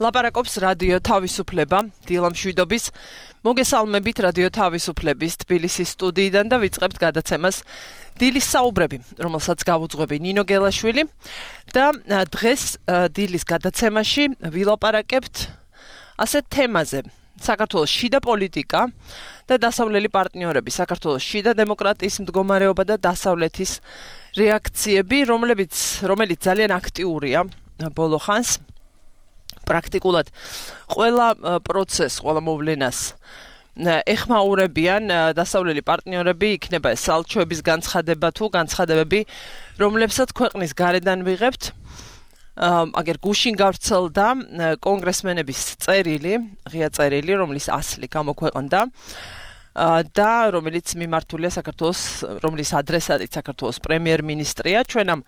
ლაპარაკობს რადიო თავისუფლება, დილამ შვიდობის. მოგესალმებით რადიო თავისუფლების თბილისის სტუდიიდან და ვიწყებთ გადაცემას დილის საუბრები, რომელსაც გავუძღვები ნინო გელაშვილი და დღეს დილის გადაცემაში ვილაპარაკებთ ასეთ თემაზე. საქართველოს შიდა პოლიტიკა და დასავლელი პარტნიორები, საქართველოს შიდა დემოკრატიის მდგომარეობა და დასავლეთის რეაქციები, რომელიც ძალიან აქტიურია ბოლო ხანს. პრაქტიკულად ყველა პროცესს, ყველა მოვლენას ეხმაურებიან დასავლელი პარტნიორები, იქნება ეს სალჩოების განცხადება თუ განცხადებები, რომლებსაც ქვეყნის გარედან ვიღებთ. აგერ გუშინ გავრცელდა კონგრესმენების ღია წერილი, რომლის ასლი გამოქვეყნდა და რომელიც მიმართულია საქართველოს, რომლის ადრესატიც საქართველოს პრემიერ-მინისტრია. ჩვენ ამ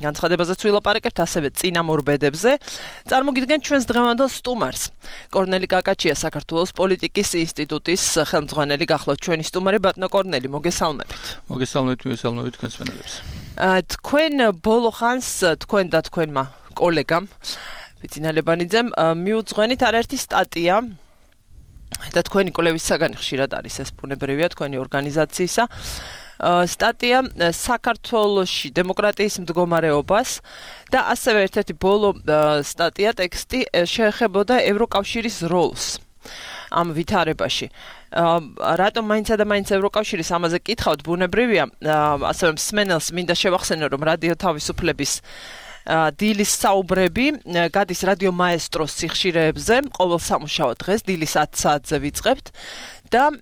განცხადებაზეც ვილაპარაკებთ, ასევე წინამორბედებზე. წარმოგიდგენთ ჩვენს დღევანდელ სტუმარს. კორნელი კაკაჩია, საქართველოს პოლიტიკის ინსტიტუტის ხელმძღვანელი, გახლავთ ჩვენი სტუმარი. ბატონო კორნელი, მოგესალმებით. მოგესალმებით თქვენს მენელებს. თქვენ ბოლო ხანს თქვენ და თქვენმა კოლეგამ ბიძინალებანიძემ მიუძღვენით არაერთი სტატია და თქვენი კოლევის საგანი ხშირად არის ეს ბუნებრივია თქვენი ორგანიზაციისა. სტატია საქართველოში დემოკრატიის მდგომარეობას და ასევე ერთ-ერთი ბოლო სტატია ტექსტი შეეხებოდა ევროკავშირის როლს ამ ვითარებაში. რატომ მაინცა და მაინც ევროკავშირის ამაზე კითხავთ, ბუნებრივია, ასევე მსმენელს მინდა შევახსენო, რომ რადიო თავისუფლების დილის საუბრები გადის რადიო მაესტროს სიხშირეებზე, ყოველ სამუშაო დღეს დილის 10 საათზე ვიწყებთ და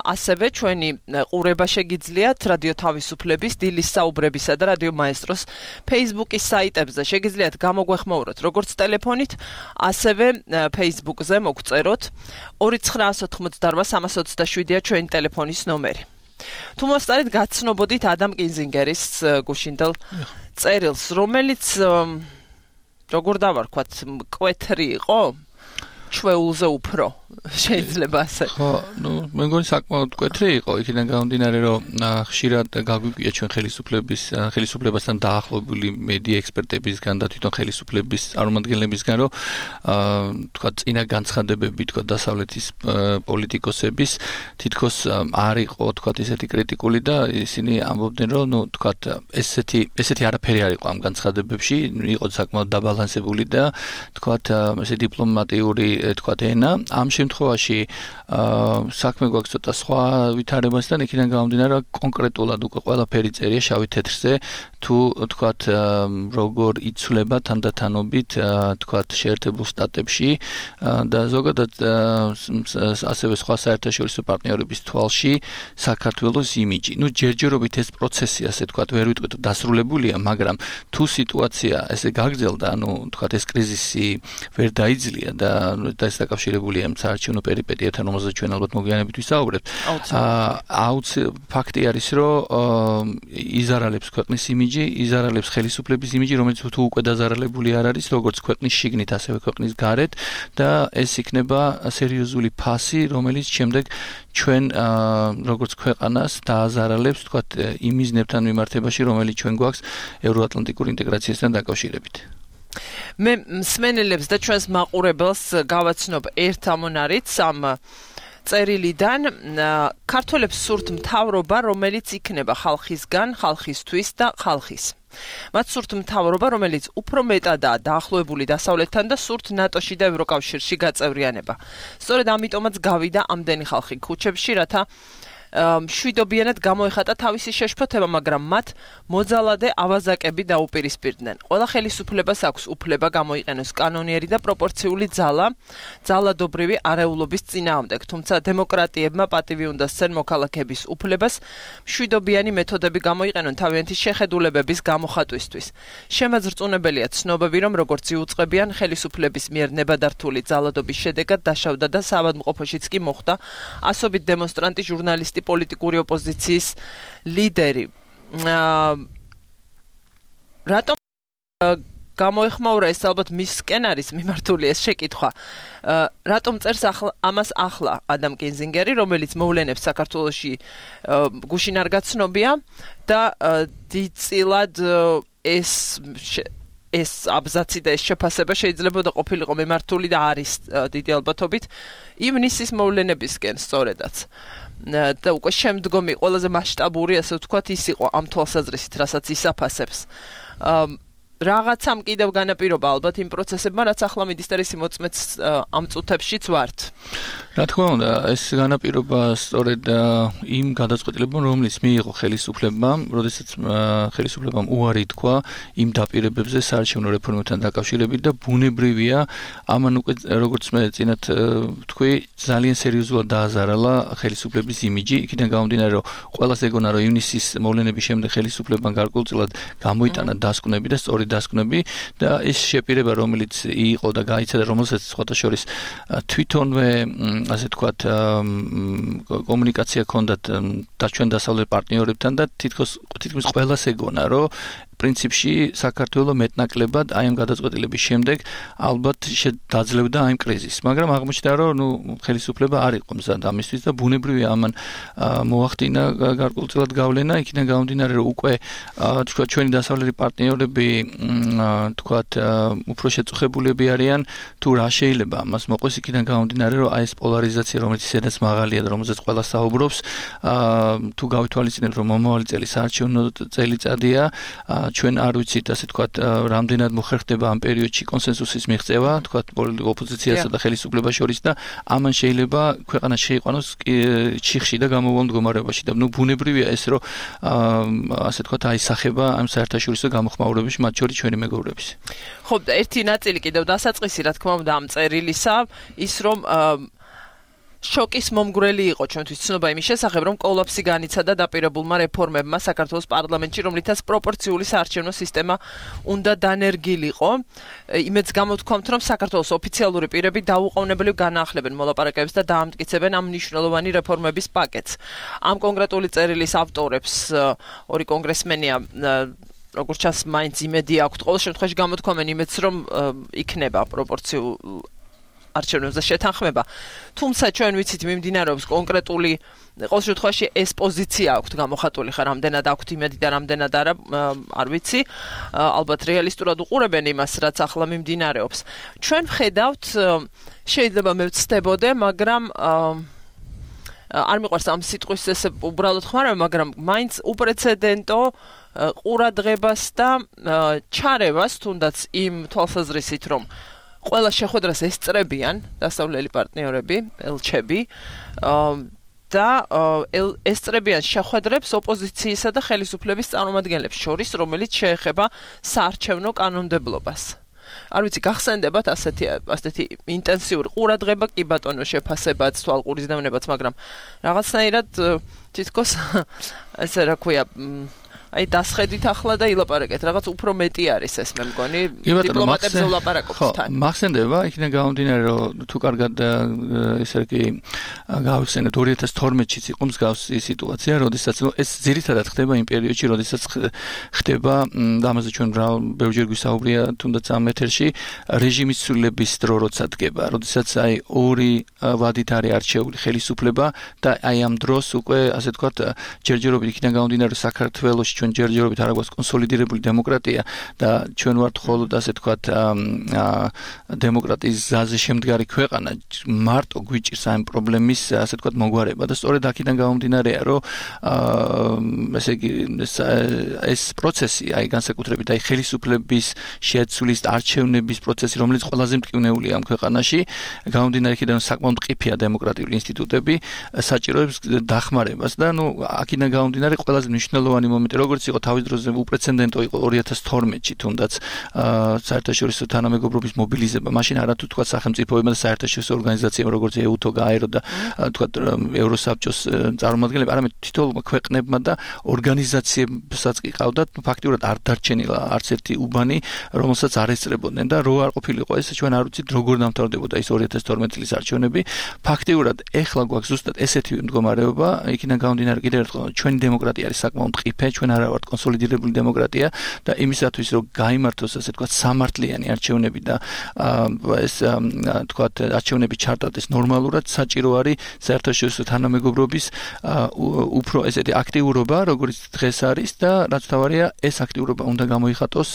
ასევე ჩვენი ყურება შეგიძლიათ რადიო თავისუფლების დილის საუბრებისა და რადიო მაესტროს Facebook-ის საიტებზე. შეგიძლიათ გამოგვეხმაუროთ როგორც ტელეფონით, ასევე Facebook-ზე მოგწეროთ 2988327-ია ჩვენი ტელეფონის ნომერი. თუ მოსწარით, გაცნობოდით ადამ კინზინგერის გუშინდელ წერილს, რომელიც როგორ დავარქვათ, მკვეთრი იყო, ჩვეულზე უფრო შეიძლება ასე. ხო, მე მგონი საკმაოდ მკვეთრი იყო, იქიდან გამომდინარე, რომ ხშირად გაგვიკვია ჩვენ ხელისუფლებასთან დაახლოებული მედია ექსპერტებისგან და თვითონ ხელისუფლების წარმომადგენლებისგან, რომ თქვა წინა განცხადებები, თქვა დასავლეთის პოლიტიკოსების თითქოს არ იყო, თქვა ესეთი კრიტიკული და ისინი ამბობდნენ, რომ თქვა ესეთი არაფერი არ იყო ამ განცხადებებში, იყო საკმაოდ დაბალანსებული და თქვა ესე დიპლომატიური თქვა ენა. ამ შემთხვევაში საქმე გვაქვს ცოტა სხვა ვითარებასთან, იქიდან გამომდინარე, რომ კონკრეტულად უკვე ყველაფერი წერია შავი თეთრზე, თუ თქვათ როგორ იცვლება თანდათანობით თქვათ შეერთებულ შტატებში და ზოგადად ასევე სხვა საერთაშორისო პარტნიორების თვალში საქართველოს იმიჯი. ჯერჯერობით ეს პროცესი ასე თქვათ ვერ ვიტყვით დასრულებულია, მაგრამ თუ სიტუაცია ესე გაგრძელდა, თქვათ ეს კრიზისი ვერ დაიძლია და ეს დაკავშირებულია საარჩევნო პერიპეტიებთან, რომელზეც ჩვენ ალბათ მოგვიანებით ვისაუბრებთ. ფაქტი არის, რომ იზარალებს ქვეყნის იმიჯი, იზარალებს ხელისუფლების იმიჯი, რომელიც თუ უკვე დაზარალებული არ არის, როგორც ქვეყნის შიგნით, ასევე ქვეყნის გარეთ და ეს იქნება სერიოზული ფასი, რომელიც შემდეგ ჩვენ როგორც ქვეყანას დააზარალებს, თქვათ, იმ მიზნებთან მიმართებაში, რომელიც ჩვენ გვაქვს ევროატლანტიკურ ინტეგრაციასთან დაკავშირებით. მე მსმენელებს და ჩვენს მაყურებელს გავაცნობ ერთ ამონარიც ამ წერილიდან. ქართველებს სურთ მთავრობა, რომელიც იქნება ხალხისგან, ხალხისთვის და ხალხის. მათ სურთ მთავრობა, რომელიც უფრო მეტადაა დაახლოებული დასავლეთთან და სურთ ნატოში და ევროკავშირში გაწევრიანება. სწორედ ამიტომაც გავიდა ამდენი ხალხი ქუჩებში, რათა მშვიდობიანად გამოეხატა თავისი შეშფოთება, მაგრამ მათ მოძალადე ავაზაკები დაუპირისპირდნენ. ყველა ხელისუფლებას აქვს უფლება გამოიყენოს კანონიერი და პროპორციული ძალადობრივი არეულობის წინააღმდეგ, თუმცა დემოკრატიებმა პატივი უნდა სცენ მოქალაქეების უფლებას მშვიდობიანი მეთოდები გამოიყენონ თავიანთი შეხედულებების გამოხატვისთვის. შემაძრწუნებელია ცნობები, რომ როგორც იუწყებიან ხელისუფლების მიერ ნებადართული ძალადობის შედეგად დაშავდა და საავადმყოფოშიც კი მოხვდა ასობით დემონსტრანტი, ჟურნალისტი, პოლიტიკური ოპოზიციის ლიდერი. რატომ გამოეხმაურა ეს ალბათ მისკენ არის მიმართული ეს შეკითხვა. რატომ წერს ამას ახლა ადამ კინზინგერი, რომელიც მოვლენებს საქართველოში გუშინ არ გაცნობია და დიდწილად ეს ეს აბზაცი და ეს შეფასება შეიძლებოდა ყოფილიყო მიმართული და არის დიდი ალბათობით ივნისის მოვლენებისკენ სწორედაც. და უკვე შემდგომი ყველაზე მასშტაბური, ასე ვთქვათ, ის იყო ამ თვალსაზრისით, რასაც ისაფასებს. Რაღაცამ კიდევ განაპირობა ალბათ იმ პროცესებმა, რაც ახლა მინისტრის მოწმეც ამ წუთებშიც ვართ. რა თქმა უნდა, ეს განაპირობა სწორედ იმ გადაწყვეტილებამ, რომელიც მიიღო ხელისუფლებამ, როდესაც ხელისუფლებამ უარი თქვა იმ დაპირებებზე საარჩევნო რეფორმებთან დაკავშირებით და ბუნებრივია, ამან უკვე როგორც მე წინათ თქვი, ძალიან სერიოზულად დააზარალა ხელისუფლების იმიჯი, იქიდან გამომდინარე, რომ ყველას ეგონა, რომ ივნისის მოვლენების შემდეგ ხელისუფლებამ გარკვეულწილად გამოიტანა დასკვნები და სწორი დასკვნები და ეს შეპირება, რომელიც იყო და გაიცადა, რომელსაც სხვათა შორის თვითონვე ასე ვთქვათ კომუნიკაცია ჰქონდათ ჩვენ დასავლეთ პარტნიორებთან და თითქმის ყველას ეგონა, რომ პრინციპში საქართველოს მეტნაკლებად აი ამ გადაწყვეტილების შემდეგ ალბათ დაძლევდა აი ამ კრიზისს, მაგრამ აღმოჩნდა, რომ ხელისუფლება არ იყო მზად ამისთვის და ბუნებრივია ამან მოახდინა გარკვეულწილად გავლენა, იქიდან გამომდინარე, რომ უკვე თქვა ჩვენი დასავლეთი პარტნიორები თქვათ უფრო შეწუხებულები არიან თუ რა შეიძლება ამას მოყოს, იქიდან გამომდინარე, რომ აი ეს პოლარიზაცია, რომელიც ისედაც მაღალია და რომელზეც ყველა საუბრობს, თუ გავითვალისწინებთ, რომ მომავალი წელი საარჩევნო წელიწადია, ჩვენ არ ვიცით, ასე ვთქვათ, რამდენად მოხერხდება ამ პერიოდში კონსენსუსის მიღწევა, ვთქვათ, ოპოზიციასა და ხელისუფლებას შორის და ამან შეიძლება ქვეყანა შეიყვანოს ჩიხში და გამოვალ მდგომარეობაში და ბუნებრივია ეს, რომ ასე ვთქვათ, აისახება ამ საერთაშორისო გამოხმაურებებში, მათ შორის ჩვენი მეგობრების. ხო, ერთი ნაწილი კიდევ დასაწყისი, რა თქმა უნდა, ამ წერილისა, ის რომ შოკის მომგვრელი იყო ჩვენთვის ცნობა იმის შესახებ, რომ კოლაფსი განიცადა დაპირებულმა რეფორმებმა საქართველოს პარლამენტში, რომლითაც პროპორციული საარჩევნო სისტემა უნდა დანერგილიყო. იმედს გამოთქვამთ, რომ საქართველოს ოფიციალური პირები დაუყოვნებლივ განაახლებენ მოლაპარაკებებს და დაამტკიცებენ ამ მნიშვნელოვანი რეფორმების პაკეტს. ამ კონკრეტული წერილის ავტორებს ორი კონგრესმენია როგორც ჩანს, მაინც იმედი აქვთ, ყოველ შემთხვევაში გამოთქვამენ იმედს, რომ იქნება პროპორციულ არჩევნებზე შეთანხმება. თუმცა ჩვენ ვიცით მიმდინარეობს კონკრეტული ყოველ შემთხვევაში ეს პოზიცია აქვთ გამოხატული ხარ, რამდენად აქვთ იმედი და რამდენად არა, არ ვიცი. ალბათ რეალისტურად უყურებენ იმას, რაც ახლა მიმდინარეობს. ჩვენ ვხედავთ, შეიძლება მე ვცდებოდე, მაგრამ არ მიყვარს ამ სიტყვის ესე უბრალოდ ხმარება, მაგრამ მაინც უპრეცედენტო ყურადღებას და ჩარევას, თუნდაც იმ თვალსაზრისით, რომ ყველა შეხვედრას ესწრებიან დასავლელი პარტნიორები, ელჩები და ესწრებიან შეხვედრებს ოპოზიციისა და ხელისუფლების წარმომადგენლებს შორის, რომელიც შეეხება საარჩევნო კანონმდებლობას. არ ვიცი, გახსენდებათ ასეთი ინტენსიური ყურადღება, კი ბატონო, შეფასებაც, თვალყურისდევნებაც, მაგრამ რაღაცნაირად თითქოს ესე რა ქვია, აი დასხედით ახლა და ილაპარაკეთ, რაღაც უფრო მეტი არის ეს მე მგონი, დიპლომატებზე ვლაპარაკობთ თან. მახსენდება, იქიდან გამომდინარე, რომ თუ კარგად ესე იგი გავიხსენებთ 2012-ში იყო მსგავსი სიტუაცია, როდესაც ეს ძირითადად ხდება იმ პერიოდში, როდესაც ხდება და ამაზე ჩვენ ბევრჯერ გვისაუბრია თუნდაც ამ ეთერში, რეჟიმის ცვლილების დრო როცა დგება, როდესაც აი ორი ვადით არის არჩეული ხელისუფლება და აი ამ დროს უკვე ასე ვთქვათ, ჯერჯერობით იქიდან გამომდინარე, რომ საქართველოს ჩვენ ჯერჯერობით არ აქვს კონსოლიდირებული დემოკრატია და ჩვენ ვართ მხოლოდ ასე ვთქვათ დემოკრატიის გზაზე შემდგარი ქვეყანა, მარტო გვიჭირს ამ პრობლემის ასე ვთქვათ მოგვარება და სწორედ აქედან გამომდინარეა, რომ ესე იგი ეს პროცესი, აი განსაკუთრებით აი ხელისუფლების შეცვლის არჩევნების პროცესი, რომელიც ყველაზე მტკივნეულია ამ ქვეყანაში, გამომდინარე იქიდან, რომ საკმაოდ მყიფეა დემოკრატიული ინსტიტუტები, საჭიროებს დახმარებას და აქედან გამომდინარე ყველაზე მნიშვნელოვანი მომენტი როგორც იყო თავის დროზე უპრეცედენტო იყო 2012-ში თუნდაც საერთაშორისო თანამეგობრობის მობილიზება, მაშინ არათუ თქვა სახელმწიფოებმა და საერთაშორისო ორგანიზაციებმა როგორც EUTO, GAERO და თქვა ევროსაბჭოს წარმომადგენლები, არამედ თითოეულმა ქვეყნებმა და ორგანიზაციებსაც კი ყავდათ ფაქტიურად არ დარჩენილა არც ერთი უბანი, რომელსაც არ ესწრებოდნენ და რო არ ყოფილიყო ეს, ჩვენ არ ვიცით როგორ დამთავრდებოდა ის 2012 წლის არჩევნები. ფაქტიურად ეხლა გვაქვს ზუსტად ესეთი მდგომარეობა, იქიდან გამომდინარე კიდევ ერთხელ ჩვენი დემოკრატია არის საკმაოდ მყიფე, ჩვენ არა ვართ კონსოლიდირებული დემოკრატია და იმისათვის რომ გაიმართოს ასე თქვა სამართლიანი არჩევნები და ეს თქვა არჩევნები ჩართდეს ნორმალურად საჭირო არის საერთაშორისო თანამეგობრობის უფრო ესეთი აქტიურობა როგორც დღეს არის და რაც თავარია ეს აქტიურობა უნდა გამოიხატოს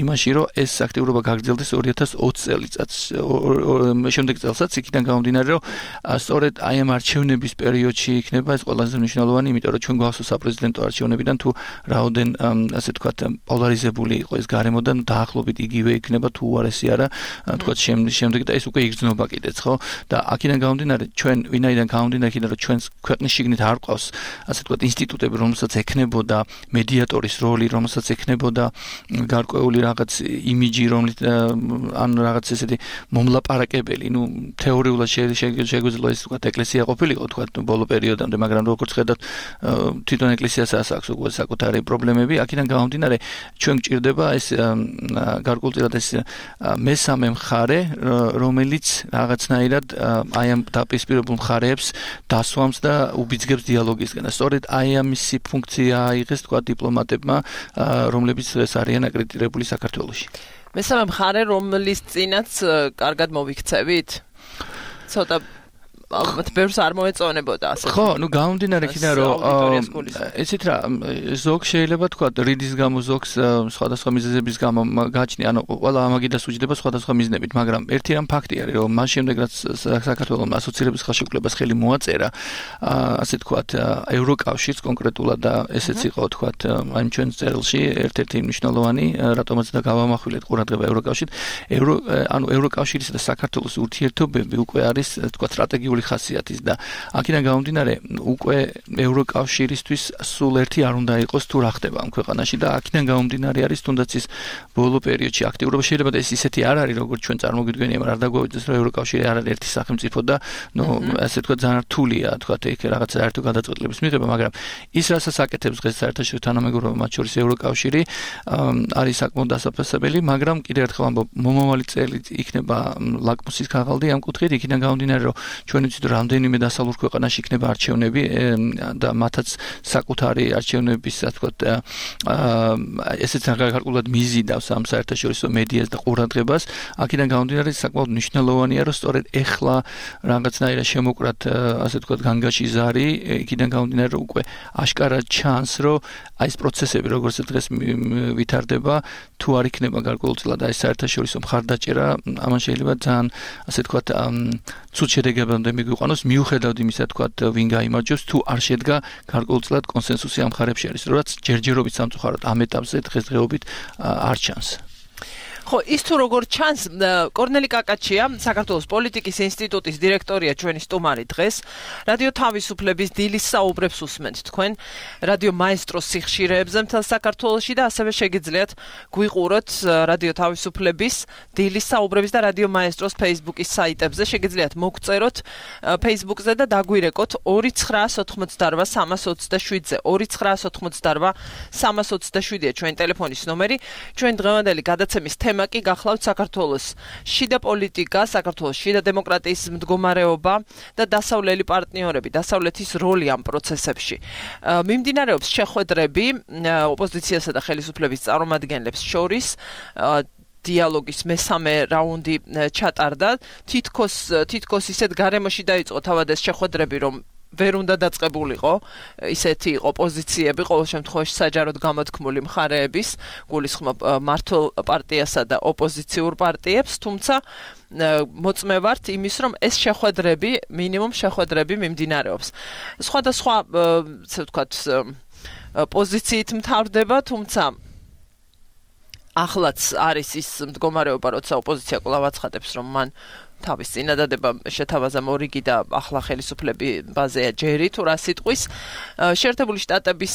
იმაში რომ ეს აქტიურობა გაგრძელდეს 2020 წელიწადს შემდეგ წელსაც იქიდან გამომდინარე რომ სწორედ აი ამ არჩევნების პერიოდში იქნება ეს ყველაზე მნიშვნელოვანი იმიტომ რომ ჩვენ გვახსოვს საპრეზიდენტო არჩევნებიდან თუ რაოდენ ასე თქვა პოლარიზებული იყო ეს გარემოდან დაახლოებით იგივე იქნება თუ უარესი არა თქვა შემდეგ და ეს უკვე იგრძნობა კიდეც ხო და აქედან გამომდინარე ჩვენ ვინაიდან გამომდინარე იქიდან რომ ჩვენს ქვეყნის შიგნით არ ყავს ასე თქვა ინსტიტუტები რომელსაც ექნებოდა მედიატორის როლი რომელსაც ექნებოდა გარკვეული რაღაც იმიჯი რომელიც ან რაღაც ესეთი მომლაპარაკებელი ნუ თეორიულად შეგვიძლია ეს თქვა ეკლესია ყოფილიყო თქვა ბოლო პერიოდამდე მაგრამ როგორც ხედავთ თვითონ ეკლესიასაც აქვს უკვე საკუთარი პრობლემები აქედან გამომდინარე ჩვენ გჭირდება ეს გარკვეულწილად ეს მესამე მხარე რომელიც რაღაცნაირად აი ამ დაპირისპირებულ მხარეებს დასვამს და უბიძგებს დიალოგისგან და სწორედ აი ამისი ფუნქცია აიღეს თქვა დიპლომატებმა რომლებიც ეს არიან აკრედიტირებული საქართველოში მესამე მხარე რომლის წინაც კარგად მოვიქცევით ცოტა ალბათ ბევრს არ მოეწონებოდა ასე ხო ნუ გამომდინარე იქიდან რომ ესეთ რა ზოგ შეიძლება თქვა რიდის გამო ზოგს სხვადასხვა მიზეზების გამო გაჩნია ანუ ყველა ამაგიდას უჯდება სხვადასხვა მიზნებით მაგრამ ერთი რამ ფაქტი არის რომ მას შემდეგ რაც საქართველოს ასოცირების ხელშეკრულებას ხელი მოაწერა ასე თქვა ევროკავშირს კონკრეტულად და ესეც იყო თქვა აი ჩვენ წერილში ერთ-ერთი მნიშვნელოვანი რატომაც და გავამახვილეთ ყურადღება ევროკავშირს ანუ ევროკავშირისა და საქართველოს ურთიერთობები უკვე არის თქვა სტრატეგიული ხასიათის და აქედან გამომდინარე უკვე ევროკავშირისთვის სულ ერთი არ უნდა იყოს თუ რა ხდება ამ ქვეყანაში და აქედან გამომდინარე არის თუნდაც ის ბოლო პერიოდში აქტიურობა შეიძლება და ეს ისეთი არ არის როგორც ჩვენ წარმოგიდგენია მაგრამ არ დაგვეძებს რომ ევროკავშირი არ არის ერთი სახელმწიფო და ნუ ასე თქვა ძალიან რთულია თქვა იქ რაღაც საერთო გადაწყვეტილების მიღება მაგრამ ის რასაც აკეთებს დღეს საერთაშორისო თანამეგობრობა მათ შორის ევროკავშირი არის საკმაოდ დასაფასებელი მაგრამ კიდევ ერთხელ ამბობ მომავალი წელი იქნება ლაკმუსის ქაღალდი ამ კუთხით იქიდან გამომდინარე რომ ჩვენ რამდენიმე დასავლურ ქვეყანაში იქნება არჩევნები და მათაც საკუთარი არჩევნების ასე ვთქვათ ესეც გარკვეულად მიზიდავს ამ საერთაშორისო მედიას და ყურადღებას აქედან გამომდინარე საკმაოდ მნიშვნელოვანია რომ სწორედ ეხლა რაღაცნაირად შემოკრათ ასე ვთქვათ განგაში ზარი იქიდან გამომდინარე რომ უკვე აშკარად ჩანს რომ აი ეს პროცესები როგორც დღეს ვითარდება თუ არ იქნება გარკვეულწილად აი საერთაშორისო მხარდაჭერა ამან შეიძლება ძალიან ასე ვთქვათ ცუდ შედეგებამდე მიგვიყვანოს მიუხედავად იმისა თქვა ვინ გაიმარჯვებს თუ არ შედგა გარკვეულწილად კონსენსუსი ამ მხარებში არის რაც ჯერჯერობით სამწუხაროდ ამ ეტაპზე დღესდღეობით არ ჩანს ხო ის თუ როგორ ჩანს კორნელი კაკაჩია საქართველოს პოლიტიკის ინსტიტუტის დირექტორია ჩვენი სტუმარი დღეს რადიო თავისუფლების დილის საუბრებს უსმენთ თქვენ რადიო მაესტროს სიხშირეებზე მთელ საქართველოში და ასევე შეგიძლიათ გვიყუროთ რადიო თავისუფლების დილის საუბრების და რადიო მაესტროს Facebook-ის საიტებზე შეგიძლიათ მოგწეროთ Facebook-ზე და დაგვირეკოთ 2988-327-ზე 2988-327-ია ჩვენი ტელეფონის ნომერი ჩვენ დღევანდელი გადაცემის კი გახლავთ საქართველოს შიდა პოლიტიკა, საქართველოს შიდა დემოკრატიის მდგომარეობა და დასავლელი პარტნიორები, დასავლეთის როლი ამ პროცესებში. მიმდინარეობს შეხვედრები ოპოზიციასა და ხელისუფლების წარმომადგენლებს შორის დიალოგის მესამე რაუნდი ჩატარდა. თითქოს ისეთ გარემოში დაიწყო თავად ეს შეხვედრები, რომ ვერ უნდა დაწყებულიყო ისეთი იყო პოზიციები ყოველ შემთხვევაში საჯაროდ გამოთქმული მხარეების გულისხმობ მართლ პარტიასა და ოპოზიციურ პარტიებს თუმცა მოწმე ვართ იმის რომ ეს შეხვედრები მინიმუმ შეხვედრები მიმდინარეობს სხვადასხვა ასე ვთქვათ პოზიციით მთავრდება თუმცა ახლაც არის ის მდგომარეობა როცა ოპოზიცია კვლავ აცხადებს რომ მან თავის წინადადება შეთავაზა მორიგი და ახლა ხელისუფლები ბაზეა ჯერი თუ რა სიტყვის შეერთებული შტატების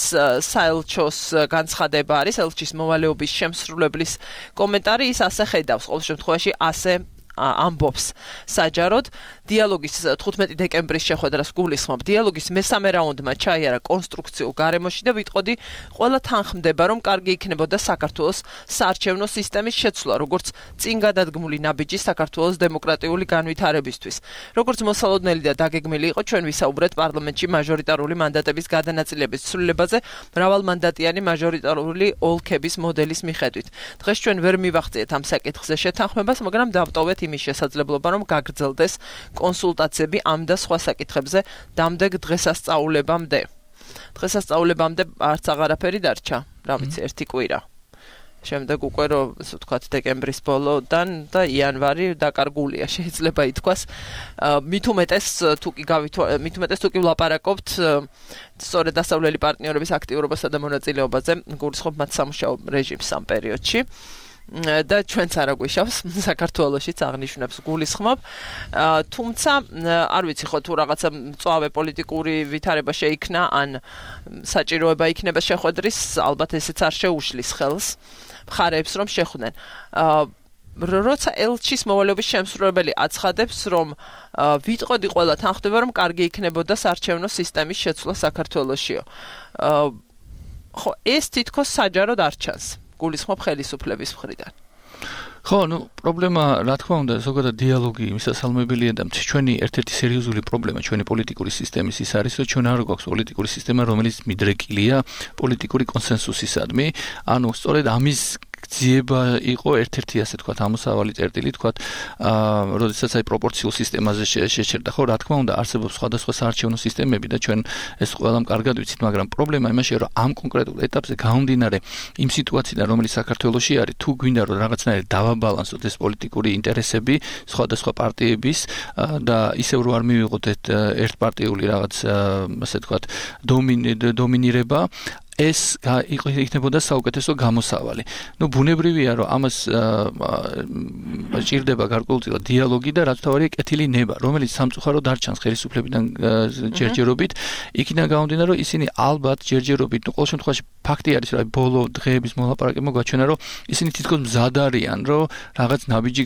საელჩოს განცხადება არის ელჩის მოვალეობის შემსრულებლის კომენტარი ის ასე ხედავს ყოველ შემთხვევაში ასე ამბობს საჯაროდ დიალოგის 15 დეკემბრის შეხვედრას გულისხმობ. დიალოგის მესამე რაუნდმა ჩაიარა კონსტრუქციულ გარემოში და ვიტყოდი, ყველა თანხმდება, რომ კარგი იქნებოდა საქართველოს საარჩევნო სისტემის შეცვლა, როგორც წინ გადადგმული ნაბიჯი საქართველოს დემოკრატიული განვითარებისთვის. როგორც მოსალოდნელი და დაგეგმილი იყო, ჩვენ ვისაუბრეთ პარლამენტში მაჟორიტარული მანდატების გადანაწილების ცვლილებაზე მრავალმანდატიანი მაჟორიტარული ოლქების მოდელის მიხედვით. დღეს ჩვენ ვერ მივახციეთ ამ საკითხზე შეთანხმებას, მაგრამ დავტოვეთ იმის შესაძლებლობა, რომ გაგრძელდეს კონსულტაციები ამ და სხვა საკითხებზე დამდეგ დღესასწაულებამდე. დღესასწაულებამდე არც აღარაფერი დარჩა, რა ვიცი, ერთი კვირა. შემდეგ უკვე რომ ასე ვთქვათ დეკემბრის ბოლოდან და იანვარი დაკარგულია შეიძლება ითქვას. მით უმეტეს თუ კი ვლაპარაკობთ სწორედ დასავლელი პარტნიორების აქტიურობასა და მონაწილეობაზე, გულისხმობ მათ სამუშაო რეჟიმს ამ პერიოდში. და ჩვენც არა გვიშავს საქართველოშიც აღნიშნებს გულისხმობ. თუმცა არ ვიცი ხო თუ რაღაცა მწვავე პოლიტიკური ვითარება შეიქმნა ან საჭიროება იქნება შეხვედრის, ალბათ ესეც არ შეუშლის ხელს მხარეებს რომ შეხვდნენ. როცა ელჩის მოვალეობის შემსრულებელი აცხადებს, რომ ვიტყოდი ყველა თანხმდება, რომ კარგი იქნებოდა საარჩევნო სისტემის შეცვლა საქართველოშიო. ხო, ეს თითქოს საჯაროდ არ ჩანს. გულისხმობ ხელისუფლების მხრიდან. ხო, პრობლემა, რა თქმა უნდა, ზოგადად დიალოგი მისასალმებელია და ჩვენი ერთ-ერთი სერიოზული პრობლემა ჩვენი პოლიტიკური სისტემის ის არის, რომ ჩვენ არ გვაქვს პოლიტიკური სისტემა, რომელიც მიდრეკილია პოლიტიკური კონსენსუსისადმი. ანუ სწორედ ამის გძიება იყო ერთ-ერთი ასე თქვათ ამოსავალი წერტილი თქვათ, როდესაც აი პროპორციულ სისტემაზე შეჩერდა. ხო, რა თქმა უნდა, არსებობს სხვადასხვა საარჩევნო სისტემები და ჩვენ ეს ყველამ კარგად ვიცით, მაგრამ პრობლემა იმაშია, რომ ამ კონკრეტულ ეტაპზე გამომდინარე იმ სიტუაციიდან, რომელიც საქართველოში არის, თუ გვინდა რომ რაღაცნაირად დავაბალანსოთ ეს პოლიტიკური ინტერესები სხვადასხვა პარტიების და ისევ რომ არ მივიღოთ ერთპარტიული რაღაც ასე თქვათ დომინირება, ეს იქნებოდა საუკეთესო გამოსავალი. ბუნებრივია, რომ ამას ჭირდება გარკვეულწილად დიალოგი და რაც თავარია კეთილი ნება, რომელიც სამწუხაროდ არ ჩანს ხელისუფლებიდან ჯერჯერობით. იქიდან გამომდინარე, რომ ისინი ალბათ ჯერჯერობით, ყოველ შემთხვევაში ფაქტი არის, რომ ბოლო დღეების მოლაპარაკებმა გვაჩვენა, რომ ისინი თითქოს მზად არიან, რომ რაღაც ნაბიჯი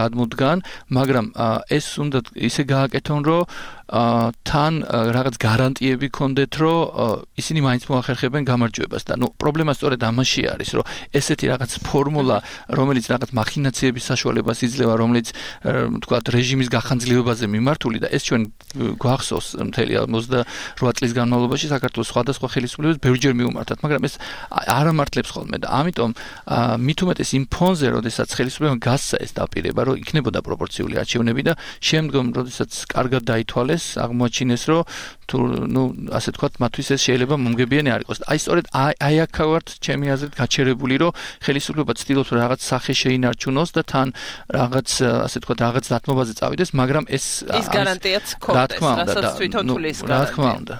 გადმოდგან, მაგრამ ეს უნდა ისე გააკეთონ, რომ თან რაღაც გარანტიები ქონდეთ, რომ ისინი მაინც მოახერხებენ გამარჯვებას და პრობლემა სწორედ ამაში არის, რომ ესეთი რაღაც ფორმულა, რომელიც რაღაც მახინაციების საშუალებას იძლევა, რომელიც თქვათ რეჟიმის გახანძლივებაზე მიმართული და ეს ჩვენ გვახსოვს მთელი 28 წლის განმავლობაში საქართველოს სხვადასხვა ხელისუფლებებს ბევრჯერ მიუმართათ, მაგრამ ეს არ ამართლებს ხოლმე და ამიტომ მით უმეტეს იმ ფონზე, როდესაც ხელისუფლებამ გასცა ეს დაპირება, რომ იქნებოდა პროპორციული არჩევნები და შემდგომ, როდესაც კარგად დაითვალეს, აღმოაჩინეს, რომ თუ ასე თქვათ, მათთვის ეს შეიძლება მომგებიანი არ იყოს. აი სწორედ აი აქა ვართ ჩემი აზრით გაჩერებული, რომ ხელისუფლება ცდილობს რომ რაღაც სახე შეინარჩუნოს და თან რაღაც ასე თქვათ რაღაც დათმობაზე წავიდეს, მაგრამ ეს გარანტიაც ქონდეს, რასაც თვითონ თulis გარანტია. რა თქმა უნდა.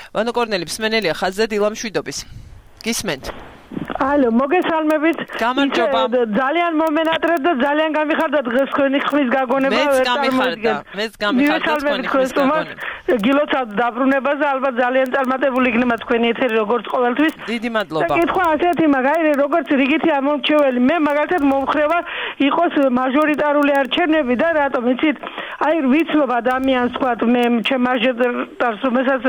ვანო კორნელი მსმენელია ხაზზე დილამ შვიდობის. გისმენთ? ალო, მოგესალმებით. გამარჯობა. ძალიან მომენატრეთ და ძალიან გამიხარდა დღეს თქვენი ხმის გაგონება. მეც გამიხარდა თქვენი ხმის გაგონება. გილოცავთ დაბრუნებას, ალბათ ძალიან წარმატებული იქნება თქვენი ეთერი როგორც ყოველთვის. დიდი მადლობა. და კითხვა ასეთი მაგარი, როგორც რიგითი ამომრჩეველი, მე მაგალითად მომხრევა იყოს მაჟორიტარული არჩევნები და რატომ იცით? აი ვიცნობ ადამიანს თქვათ, მე ჩემ მაჟორიტარს რომელსაც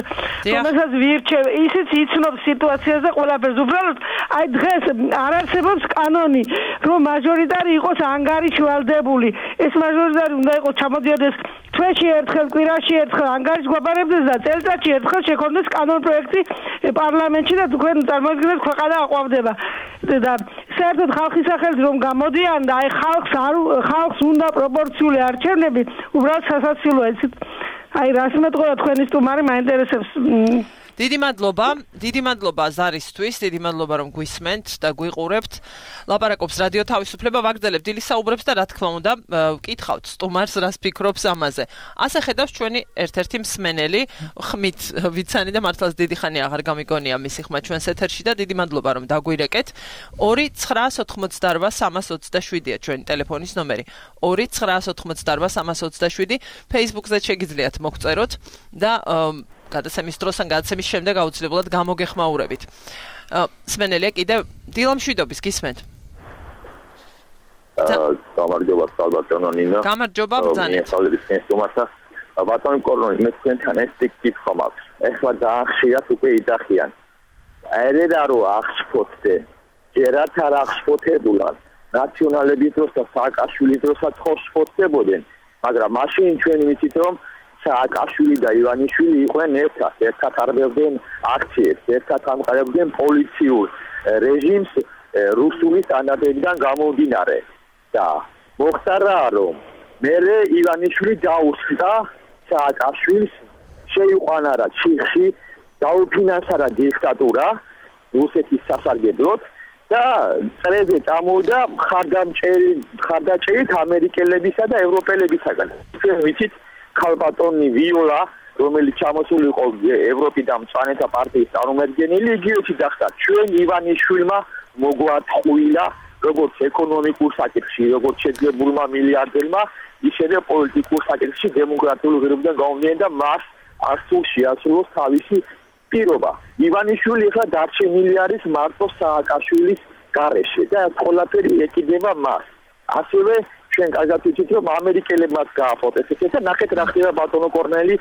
ვირჩევ, ისიც იცნობ სიტუაციას და ყველაფერს. უბრალოდ აი დღეს არ არსებობს კანონი, რომ მაჟორიტარი იყოს ანგარიში ვალდებული. ეს მაჟორიტარი უნდა იყოს ჩამოდიოდეს თვეში ერთხელ, კვირაში ერთხელ ანგარიშს გვაბარებდეს და წელიწადში ერთხელ შექონდეს კანონპროექტი პარლამენტში და თქვენ წარმოიდგინეთ ქვეყანა აყვავდება. და საერთოდ ხალხის სახელით რომ გამოდიან და აი ხალხს უნდა პროპორციული არჩევნები, უბრალოდ სასაცილოა ეს. აი რას მეტყობა თქვენი სტუმარი მაინტერესებს. დიდი მადლობა ზარისთვის, დიდი მადლობა რომ გვისმენთ და გვიყურებთ. ლაპარაკობს რადიო თავისუფლება, ვაგრძელებთ დილის საუბრებს და რა თქმა უნდა, ვკითხავთ სტუმარს რას ფიქრობს ამაზე. ასე ხედავს ჩვენი ერთ-ერთი მსმენელი, ხმით ვიცანი და მართლაც დიდი ხანი აღარ გამიგონია მისი ხმა ჩვენს ეთერში და დიდი მადლობა რომ დაგვირეკეთ. 2988327-ია ჩვენი ტელეფონის ნომერი. 2988327 Facebook-ზე შეგიძლიათ მოგწეროთ და გადაცემის დროს ან გადაცემის შემდეგ აუცილებლად გამოგეხმაურებით. მსმენელია კიდევ დილამშვიდობის გისმენთ. გამარჯობა ალბათონო ნინო. გამარჯობა ბრძანეთ. ბატონო კორონი მე თქვენთან ეს კითხვა მაქვს. ეხლა დაახშირათ უკვე იძახიან. ერედა რომ აღშფოთდე. ჯერათ არ აღშფოთებულან. ნაციონალების დროს და სააკაშვილის დროსაც ხო შფოთდებოდნენ, მაგრამ მაშინ ჩვენ ვიცით რომ სააკაშვილი და ივანიშვილი იყვნენ ერთად არბევდნენ აქციებს, ერთად ამყარებდნენ პოლიციურ რეჟიმს რუსული სტანდარტებიდან გამომდინარე. და მოხდა რა რომ მე ივანიშვილი დაუსხდა სააკაშვილს შეიყვანა რა ჩიხში დაუფინანსა დიქტატურა რუსეთის სასარგებლოდ და წრეზე წამოვიდა მხარდაჭერით ამერიკელებისა და ევროპელებისაგან. ჩვენ ვიცით ქალბატონი ვიოლა რომელიც ჩამოსული იყო ევროპიდან მწვანეთა პარტიის წარმომადგენელი იგივე გახდა ჩვენ ივანიშვილმა მოგვატყუილა როგორც ეკონომიკურ საკითხში როგორც შეძლებულმა მილიარდერმა ისევე პოლიტიკურ საკითხში დემოკრატიული ღირებულიდან გამომდინარე და მას არასდროს შეასრულოს თავისი პირობა. ივანიშვილი ახლა დარჩენილი არის მარტო სააკაშვილის გარეშე და ყველაფერი ეკიდება მას. ასევე ჩვენ კარგად ვიცით რომ ამერიკელებმაც გააფოტეს ეს და ნახეთ რა ხდება ბატონო კორნელი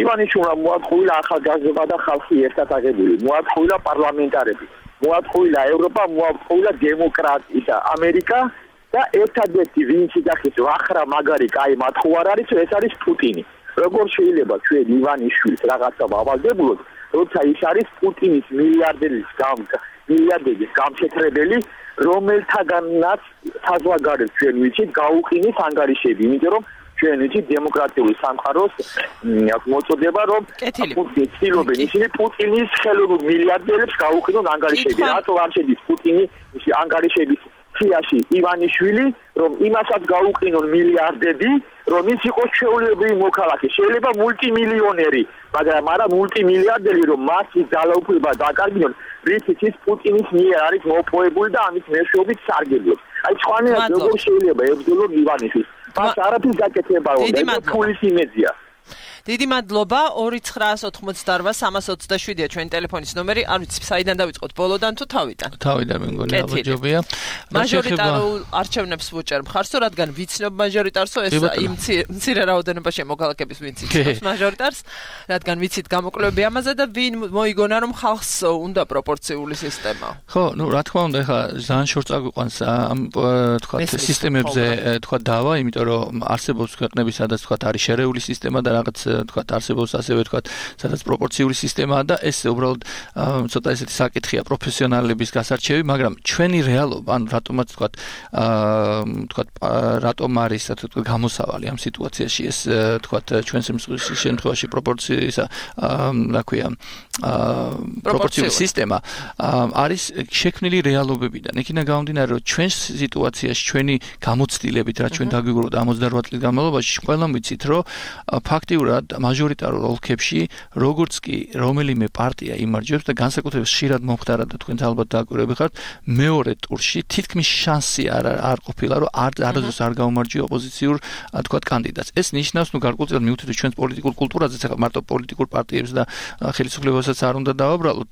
ივანიშვილმა მოატყუილა ახალგაზრდა და ხალხი ერთად აღებული. მოატყუილა პარლამენტარები. მოატყუილა ევროპა, მოატყუილა დემოკრატია და ამერიკა და ერთადერთი ვინც იდახის ახრა მაგარი კაი მათხოვ არ არის ეს არის პუტინი. როგორ შეიძლება ჩვენ ივანიშვილს რაღაცა ავალდებულოთ როცა ის არის პუტინის მილიარდერის გამშეთრებელი რომელთაგანაც საზღვარგარეთ ჩვენ ვიცით გაუყინეს ანგარიშები იმიტომ რომ ჩვენ ვიცით დემოკრატიული სამყაროს მოწოდება რომ პუტინი ცდილობენ ისინი პუტინის ხელოვნურ მილიარდერებს გაუყინონ ანგარიშები რატო არ შედის პუტინი ანგარიშების სიაში ივანიშვილი რომ იმასაც გაუყინონ მილიარდები რომ ის იყოს შეულებრივი მოქალაქე შეიძლება მულტიმილიონერი მაგრამ არა მულტიმილიარდერი რომ მასი ძალაუფლება დაკარგინონ რითიც ის პუტინის მიერ არის მოპოვებული და ამის მეშვეობით სარგებლობს აი სხვანაირად როგორ შეიძლება ებრძოლოს ივანიშვილს მას არაფრის გაკეთებაა და ფულის იმედია დიდი მადლობა 2988-327-ია ჩვენი ტელეფონის ნომერი არ ვიცი საიდან დავიწყოთ ბოლოდან თუ თავიდან თავიდან მე მგონი აბაჯობია მაჟორიტარულ არჩევნებს ვუჭერ მხარს რადგან ვიცნობ მაჟორიტარსო ეს იმ მცირე რაოდენობაში მოგალაკების ვინც იცნობს მაჟორიტარს რადგან ვიცით გამოკვლევები ამაზე და ვინ მოიგონა რომ ხალხს უნდა პროპორციული სისტემა ხო ნუ რა თქმა უნდა ეხლა ძალიან შორს წაგვიყვანს ამ თქვა სისტემებზე თქვა დავა იმიტომ რომ არსებობს ქვეყნები სადაც თქვა არის შერეული სისტემა და რაღაც თქვა არსებობს ასევე თქვა სადაც პროპორციული სისტემაა და ეს უბრალოდ ცოტა ესეთი საკითხია პროფესიონალების გასარჩევი მაგრამ ჩვენი რეალობა ანუ რატომაც თქვა რატომ არის თქვა გამოსავალი ამ სიტუაციაში ეს თქვა ჩვენს შემთხვევაში პროპორციის რა ქვია პროპორციული სისტემა არის შექმნილი რეალობებიდან იქიდან გამომდინარე რომ ჩვენს სიტუაციაში ჩვენი გამოცდილებით რა ჩვენ დაგვიგროვოთ 88 წლის განმავლობაში ყველამ ვიცით რომ ფაქტიურად მაჟორიტარულ ოლქებში როგორც კი რომელიმე პარტია იმარჯვებს და განსაკუთრებით ხშირად მომხდარა და თქვენ ალბათ დააკვირვები ხართ მეორე ტურში თითქმის შანსი არ ყოფილა რომ არასდროს არ გაუმარჯვია ოპოზიციურ თქვა კანდიდატს ეს ნიშნავს ნუ გარკვეულწილად მივხვდით ჩვენს პოლიტიკურ კულტურაზე ახლა მარტო პოლიტიკურ პარტიებს და ხელისუფლებასაც არ უნდა დავაბრალოთ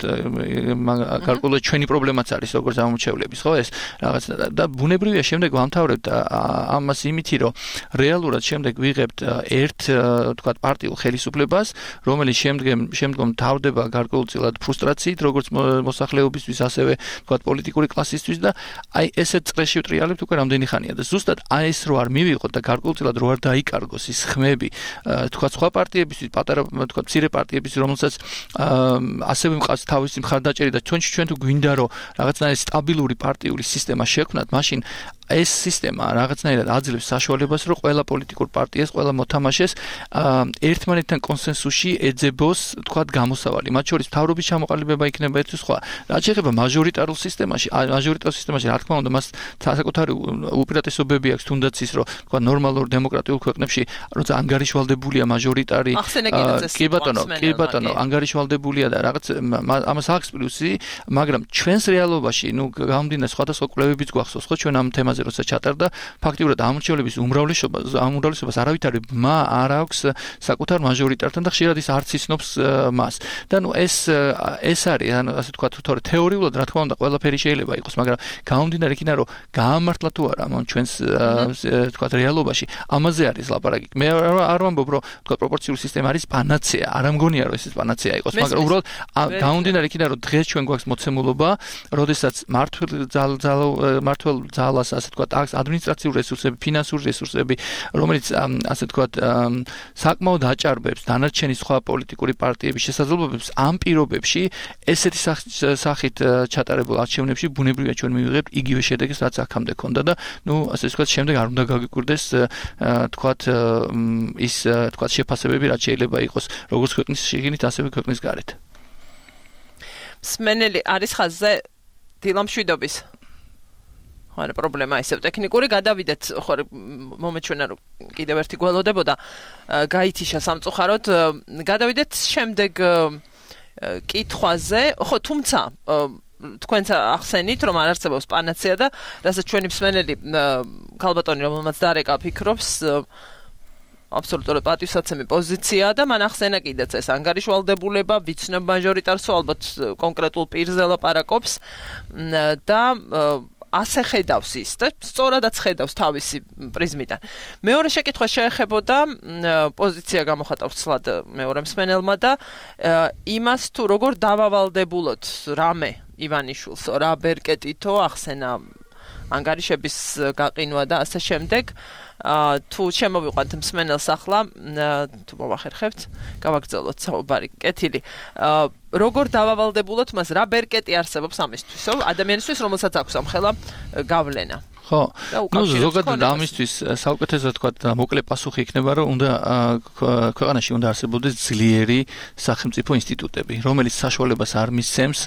გარკვეულად ჩვენი პრობლემაც არის როგორც ამომრჩევლების ხო ეს რაღაც და ბუნებრივია შემდეგ ვამთავრებთ ამას იმითი რომ რეალურად შემდეგ ვიღებთ ერთ თქვა პარტიულ ხელისუფლებას, რომელიც შემდგომ თავდება გარკვეულწილად ფრუსტრაციით, როგორც მოსახლეობისთვის, ასევე თქვა პოლიტიკური კლასისთვის და აი ესეთ წრეში ვტრიალებთ უკვე რამდენი ხანია და ზუსტად აი ეს რო არ მივიღოთ და გარკვეულწილად რო არ დაიკარგოს ის ხმები, თქვა სხვა პარტიებისთვის, პატარა თქვა მცირე პარტიებისთვის, რომელსაც ასევე მყავს თავისი მხარდაჭერი და ჩვენ თუ გვინდა რომ რაღაცნაირი სტაბილური პარტიული სისტემა შექმნათ, მაშინ ეს სისტემა რაღაცნაირად აძლევს საშუალებას, რომ ყველა პოლიტიკურ პარტიას, ყველა მოთამაშეს ერთმანეთთან კონსენსუსში ეძებოს, თქვათ, გამოსავალი. მათ შორის მთავრობის ჩამოყალიბება იქნება ერთ სხვა. რაც შეეხება მაჟორიტარულ სისტემაში, რა თქმა უნდა, მას საკუთარი უპირატესობები აქვს, თუნდაც ის, რომ თქვა ნორმალურ დემოკრატიულ ქვეყნებში, როცა ანგარიშვალდებულია მაჟორიტარი, კი ბატონო, ანგარიშვალდებულია და რაღაც ამას აქვს პლუსი, მაგრამ ჩვენს რეალობაში, გამომდინარე სხვადასხვა კვლევებიც გვახსოვს, ხო, ჩვენ ამ თემას სისტემაზე როცა ჩატარდა, ფაქტიურად ამორჩევლების უმრავლესობას არავითარი ბმა არ აქვს საკუთარ მაჟორიტართან და ხშირად ის არც იცნობს მას. და ეს არის, ასე ვთქვათ, თეორიულად რა თქმა უნდა ყველაფერი შეიძლება იყოს, მაგრამ გამომდინარე იქიდან, რომ გაამართლა თუ არა ამ ჩვენს ვთქვათ რეალობაში, ამაზე არის ლაპარაკი. მე არ ვამბობ, რომ ვთქვათ პროპორციული სისტემა არის პანაცეა, არ ამგონია რომ ეს პანაცეა იყოს, მაგრამ უბრალოდ გამომდინარე იქიდან, რომ დღეს ჩვენ გვაქვს მოცემულობა, როდესაც მართლ ძალას, ასე ვთქვათ, აქვს ადმინისტრაციული რესურსები, ფინანსური რესურსები, რომელიც ასე ვთქვათ, საკმაოდ აჭარბებს დანარჩენი სხვა პოლიტიკური პარტიების შესაძლებლობებს ამ პირობებში ესეთი სახით ჩატარებულ არჩევნებში ბუნებრივია ჩვენ მივიღებთ იგივე შედეგს, რაც აქამდე ქონდა და ასე ვთქვათ, შემდეგ არ უნდა გაგიკვირდეს თქვათ ის თქვათ შეფასებები, რაც შეიძლება იყოს როგორც ქვეყნის შიგნით, ასევე ქვეყნის გარეთ. სმენელი არის ხაზზე დილამშვიდობის. არა პრობლემა ისევ ტექნიკური გადავიდეთ, ხო მომეჩვენა რომ კიდევ ერთი გველოდებოდა გაითიშა სამწუხაროდ. გადავიდეთ შემდეგ კითხვაზე, ხო თუმცა თქვენც ახსენით რომ არ არსებობს პანაცეა და რასაც ჩვენი მსმენელი ქალბატონი რომელმაც დარეკა ფიქრობს აბსოლუტურად პატივსაცემი პოზიციაა და მან ახსენა კიდეც ეს ანგარიშვალდებულება ვიცნობ მაჟორიტარსო ალბათ კონკრეტულ პირზე ლაპარაკობს და ასე ხედავს ის და სწორადაც ხედავს თავისი პრიზმიდან. მეორე შეკითხვა შეეხებოდა პოზიცია გამოხატავს ცლად მეორე მსმენელმა და იმას თუ როგორ დავავალდებულოთ რამე ივანიშვილს რა ბერკეტითო ახსენა ანგარიშების გაყინვა და ასე შემდეგ. თუ შემოვიყვანთ მსმენელს ახლა თუ მოვახერხებთ გავაგრძელოთ საუბარი კეთილი როგორ დავავალდებულოთ მას რა ბერკეტი არსებობს ამისთვისო ადამიანისთვის რომელსაც აქვს ამ ხელა გავლენა ხო ზოგადად ამისთვის საუკეთესო თქვა მოკლე პასუხი იქნება რომ უნდა ქვეყანაში უნდა არსებობდეს ძლიერი სახელმწიფო ინსტიტუტები რომელიც საშუალებას არ მისცემს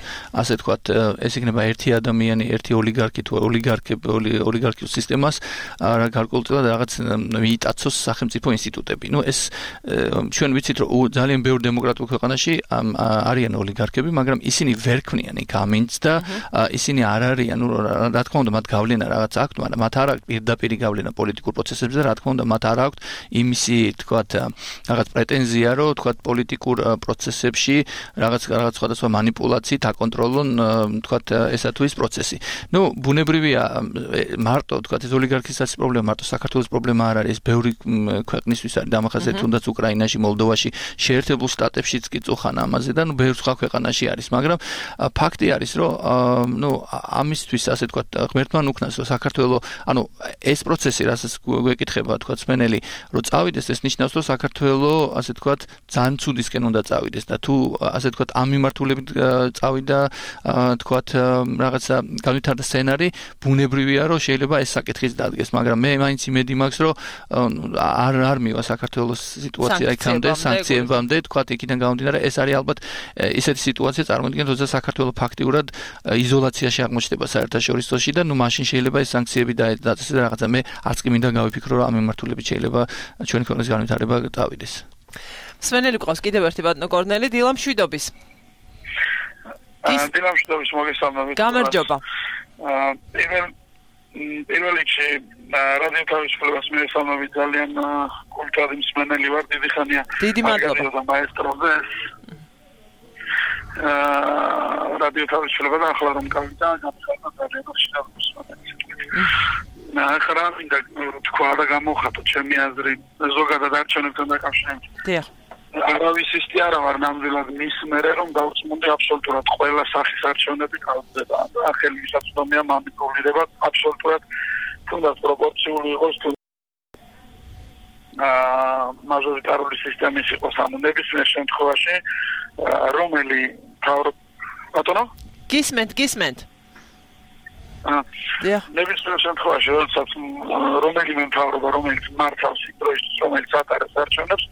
ასე თქვა ეს იქნება ერთი ადამიანი ერთი ოლიგარქი თუ ოლიგარქიულ სისტემას გარკვეულწილად რაღაც მიიტაცოს სახელმწიფო ინსტიტუტები ეს ჩვენ ვიცით რომ ძალიან ბევრ დემოკრატიულ ქვეყანაში არიან ოლიგარქები მაგრამ ისინი ვერ ქმნიან იქ ამინც და ისინი არ არიან რა თქმა უნდა მათ გავლენა რაღაც მაგრამ მათ არ აქვს პირდაპირი გავლენა პოლიტიკურ პროცესებზე რა თქმა უნდა მათ არ აქვს იმისი თქვათ რაღაც პრეტენზია რომ თქვათ პოლიტიკურ პროცესებში რაღაც სხვადასხვა манипуляციით აკონტროლონ თქვათ ესა თუ ის პროცესი. ბუნებრივია მარტო თქვათ ეს ოლიგარქისაც პრობლემა მარტო საქართველოს პრობლემა არ არის ბევრი ქვეყნისთვის არის დამახასიათებელი თუნდაც უკრაინაში, მოლდოვაში, შეერთებულ შტატებშიც კი წუხან ამაზე და ბევრ სხვა ქვეყანაში არის, მაგრამ ფაქტი არის რომ ამისთვის ასე თქვათ ღმერთმა უკნას რომ საქართველოს ეს პროცესი რასაც გვეკითხება თქვა სმენელი რომ წავიდეს ეს ნიშნავს რომ საქართველოს ასე თქვა ძალიან ცუდისკენ უნდა წავიდეს და თუ ასე თქვა ამ მიმართულებით წავიდა თქვა რაღაცა განვითარდა სცენარი ბუნებრივია რომ შეიძლება ეს საკითხიც დადგეს მაგრამ მე მაინც იმედი მაქვს რომ არ მივა საქართველოს სიტუაცია იქამდე სანქციებამდე თქვა იქიდან გამომდინარე ეს არის ალბათ ისეთი სიტუაცია წარმოიდგინეთ როცა საქართველოს ფაქტიურად იზოლაციაში აღმოჩნდება საერთაშორისოში და მაშინ შეიძლება ეს სანქციები დაეცეს რაღაცა მე არც კი მინდა გავიფიქრო რომ ამ მიმართულებით შეიძლება ჩვენი ქვეყნის განვითარება დავიდეს. სვენელი ყავს კიდევ ერთი ბატონო კორნელი დილამშვიდობის. დილამშვიდობის მოგესალმებით. გამარჯობა. პირველ რიგში რადიო თავისუფლებას მივესალმებით ძალიან კულტურადი მსმენელი ვარ დიდი ხანია. დიდი მადლობა. მაესტროზე რადიო თავისუფლება და ახლა რომ გავიდა გამხარდა ძალიან შეგვიძლია ახლა მინდა თქვა და გამოხატო ჩემი აზრი ზოგადად არჩევნებთან დაკავშირებით. დიახ. არავის ისეთი არა ვარ ნამდვილად მის მერე რომ დავწმუნდი აბსოლუტურად ყველა სახის არჩევნები გავხდება და ხელი მისაწვდომია მანიპულირება აბსოლუტურად თუნდაც პროპორციული იყოს თუ მაჟორიტარული სისტემის იყოს ამ ნებისმიერ შემთხვევაში რომელი ბატონო გისმენთ ნებისმიერ შემთხვევაში როდესაც რომელიმე მთავრობა რომელიც მართავს იმ დროისთვის რომელიც ატარებს არჩევნებს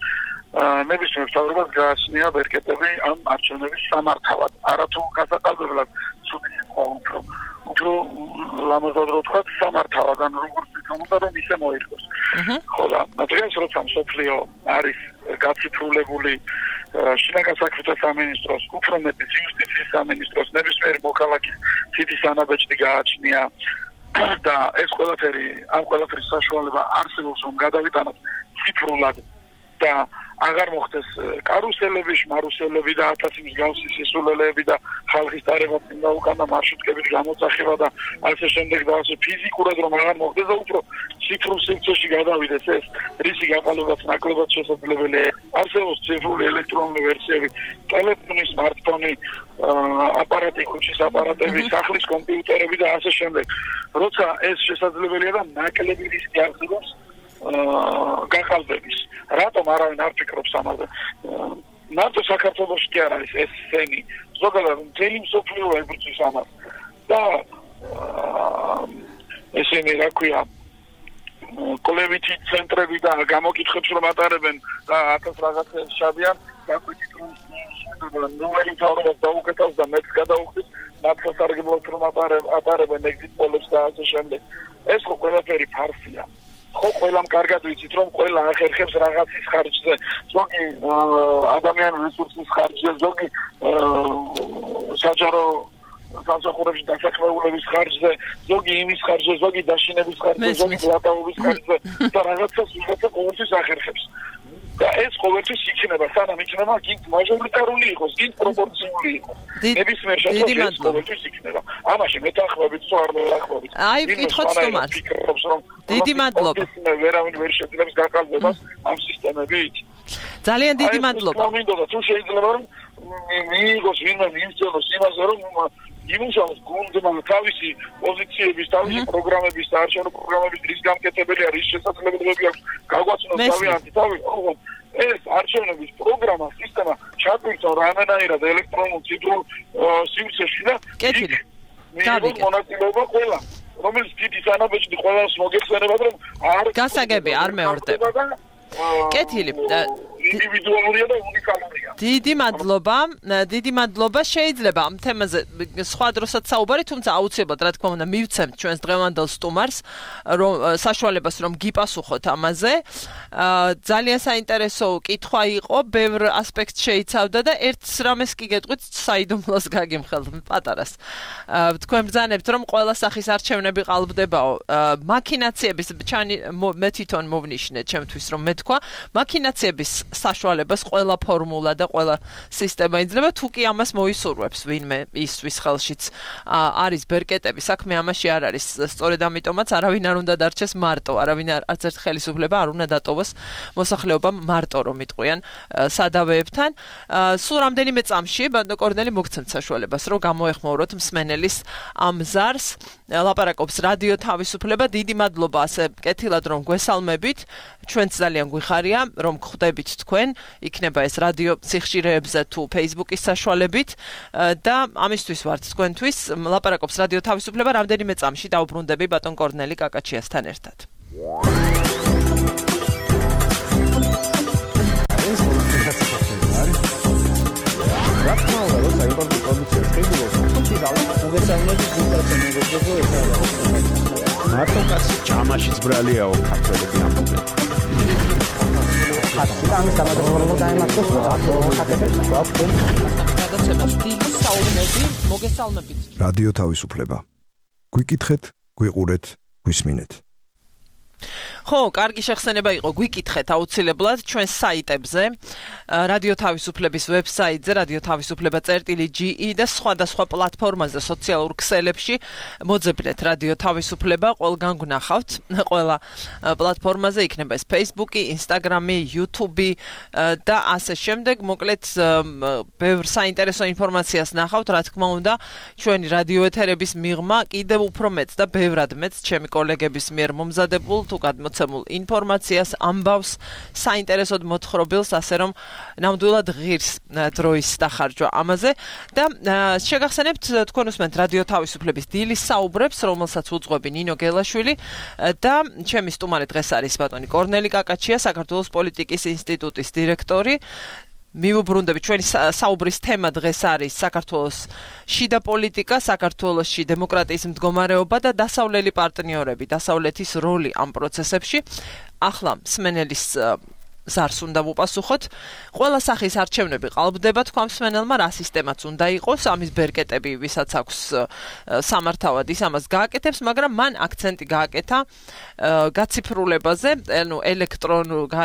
ნებისმიერ მთავრობას გააჩნია ბერკეტები ამ არჩევნების სამართავად არათუ გასაყალბებლად ცუდი უფრო ლამაზად რო ვთქვათ სამართავად ან როგორც თქმა უნდა რომ ისე მოიხდოს ხო და დღეს როცა მსოფლიო არის გაციფრულებული შინაგან საქმეთა სამინისტროს უფრო მეტი იუსტიციის სამინისტროს ნებისმიერი მოქალაქის თითის ანაბეჭდი გააჩნია და ეს ყველაფერი ამ ყველაფრის საშუალება არსებობს რომ გადავიტანოთ ციფრულად და აღარ მოხდეს კარუსელები, შმარუსელები და 1000 მსგავსი სისულელეები და ხალხის დარება წინ უკანა მარშრუტკებით გამოძახება და ასე შემდეგ და ასე ფიზიკურად რომ აღარ მოხდეს და უფრო ციფრულ სივრცეში გადავიდეს ეს რისი გაყალიბებაც ნაკლებად შესაძლებელია. არსებობს ციფრული ელექტრონული ვერსიები, ტელეფონი, სმარტფონი, აპარატი, ქუჩის აპარატები, სახლის კომპიუტერები და ასე შემდეგ. როცა ეს შესაძლებელია და ნაკლები რისკი არსებობს გაყალბების. რატომ არავინ არ ფიქრობს ამაზე? მარტო საქართველოში კი არ არის ეს სცენი. ზოგადად მთელი მსოფლიო ებრძვის ამას. და ესენი რა ქვია კოლევითი ცენტრები და გამოკითხებს რომ ატარებენ და 1000 რაღაცას შადიან, გაკვეთით რომ ნომერი თავად დაუკეთავს და მეც გადაუხდის, მართლაც არგებლობთ რომ ატარებენ ეგზიტ პოლებს და ასე შემდეგ. ეს ხო ყველაფერი ფარსია. ხო ყველამ კარგად ვიცით რომ ყველა ახერხებს რაღაცის ხარჯზე, ზოგი ადამიანური რესურსის ხარჯზე, ზოგი საჯარო სამსახურებში დასაქმებულების ხარჯზე, ზოგი იმის ხარჯზე, ზოგი დაშინების ხარჯზე, ზოგი ლატაობის ხარჯზე და რაღაცას ყოველთვის ახერხებს. და ეს ყოველთვის იქნება, სანამ იქნება გინდ მაჟორიტარული იყოს, გინდ პროპორციული იყოს. ნებისმიერ შემთხვევაში ყოველთვის იქნება. ამაში მეთანხმებით თუ არ მეთანხმებით. აი, ვკითხოთ სტუმარს. დიდი მადლობა. ვერავინ ვერ შეძლებს გაყალბებას ამ სისტემებით. ძალიან დიდი მადლობა. მინდოდა თუ შეიძლება რომ მიიღოს ვინმე მიიღოს იმაზე რომ იმუშაოს გუნდმა თავისი პოზიციების, თავისი პროგრამების, საარჩევნო პროგრამების რის გამკეთებელი არის, შესაძლებლობები აქვს გაგვაცნოს თავიანთი თავი. ეს არჩევნების პროგრამა, სისტემა ჩაგვიწევ რამენაირად ელექტრონულ ციფრულ სივრცეში და კეთილი. მიიღოს მონაწილეობა ყველა. რომელიც დიდი სანაბეჭდი ყველას მოგეხსენებათ რომ არ გასაგები არ მეორდება. კეთილი. ინდივიდუალურია და უნიკალურია. დიდი მადლობა. შეიძლება ამ თემაზე სხვა დროსაც საუბარი, თუმცა აუცილებლად რა თქმა უნდა მივცემთ ჩვენს დღევანდელ სტუმარს რომ საშუალებას რომ გიპასუხოთ ამაზე. ძალიან საინტერესო კითხვა იყო, ბევრ ასპექტს შეიცავდა და ერთ რამეს კი გეტყვით საიდუმლოს გაგიმხელთ პატარას. თქვენ ბრძანებთ რომ ყველა სახის არჩევნები ყალბდებაო. მაქინაციების მე თვითონ მოვნიშნე ჩემთვის რომ მეთქვა მაქინაციების საშუალებას ყველა ფორმულა და ყველა სისტემა იძლევა, თუ კი ამას მოისურვებს ვინმე ისთვის ხელშიც არის ბერკეტები, საქმე ამაში არ არის. სწორედ ამიტომაც არავინ არ უნდა დარჩეს მარტო, არავინ არც ერთ ხელისუფლება არ უნდა დატოვოს მოსახლეობამ მარტო რომ იტყვიან სადავეებთან. სულ რამდენიმე წამში ბატონო კორნელი მოგცემთ საშუალებას რომ გამოეხმაუროთ მსმენელის ამ ზარს. ლაპარაკობს რადიო თავისუფლება. დიდი მადლობა ასე კეთილად რომ გვესალმებით. ჩვენც ძალიან გვიხარია რომ ხვდებით თქვენ, იქნება ეს რადიო სიხშირეებზე თუ Facebook-ის საშუალებით და ამისთვის ვართ თქვენთვის. ლაპარაკობს რადიო თავისუფლება. რამდენიმე წამში დავბრუნდები ბატონ კორნელი კაკაჩიასთან ერთად. მარტო კაცი ჯამაშიც ბრალიაო ქართველები ამბობენ. ამის გამარჯვება დაემართოს მოგესალმებით. რადიო თავისუფლება. გვიკითხეთ, გვიყურეთ, გვისმინეთ. ხო, კარგი შეხსენება იყო, გვიკითხეთ აუცილებლად ჩვენ საიტებზე, რადიო თავისუფლების ვებსაიტზე, რადიო თავისუფლება.ge და სხვადასხვა პლატფორმაზე, სოციალურ ქსელებში მოძებნეთ რადიო თავისუფლება, ყველგან გნახავთ, ყველა პლატფორმაზე იქნება ეს Facebook-ი, Instagram-ი, YouTube-ი და ასე შემდეგ. მოკლედ, ბევრ საინტერესო ინფორმაციას ნახავთ, რა თქმა უნდა, ჩვენი რადიო ეთერების მიღმა კიდევ უფრო მეც და ბევრად მეც ჩემი კოლეგების მიერ მომზადებულ თუ გადმოცემულ ინფორმაციას, ამბავს, საინტერესოდ მოთხრობილს, ასე რომ ნამდვილად ღირს დროის დახარჯვა ამაზე და შეგახსენებთ თქვენ უსმენთ რადიო თავისუფლების დილის საუბრებს, რომელსაც უძღვები ნინო გელაშვილი და ჩემი სტუმარი დღეს არის ბატონი კორნელი კაკაჩია, საქართველოს პოლიტიკის ინსტიტუტის დირექტორი. მივუბრუნდები ჩვენი საუბრის თემა დღეს არის საქართველოს შიდა პოლიტიკა, საქართველოში დემოკრატიის მდგომარეობა და დასავლელი პარტნიორები, დასავლეთის როლი ამ პროცესებში. ახლა მსმენელის ზარს უნდა ვუპასუხოთ. ყველა სახის არჩევნები ყალბდება თქვა მსმენელმა, რა სისტემაც უნდა იყოს, ამის ბერკეტები, ვისაც აქვს სამართავად, ის ამას გააკეთებს, მაგრამ მან აქცენტი გააკეთა გაციფრულებაზე, ანუ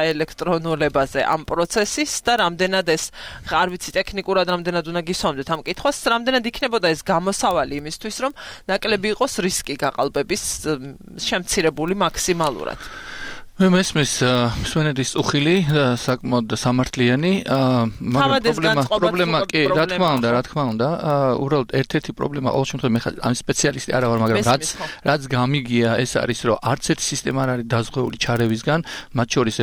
ელექტრონულებაზე ამ პროცესის და რამდენად ეს არ ვიცი ტექნიკურად რამდენად უნდა გისვამდეთ ამ კითხვას, რამდენად იქნებოდა ეს გამოსავალი იმისთვის, რომ ნაკლები იყოს რისკი გაყალბების შემცირებული მაქსიმალურად. მე მესმის მსვენელის უხილი საკმაოდ სამართლიანი, მაგრამ პრობლემა კი, რა თქმა უნდა, უბრალოდ ერთ-ერთი პრობლემა ყოველ შემთხვევაში მე ამ სპეციალისტი არა ვარ, მაგრამ რაც გამიგია, ეს არის, რომ არც ერთი სისტემა არ არის დაზღვეული ჩარევისგან, მათ შორის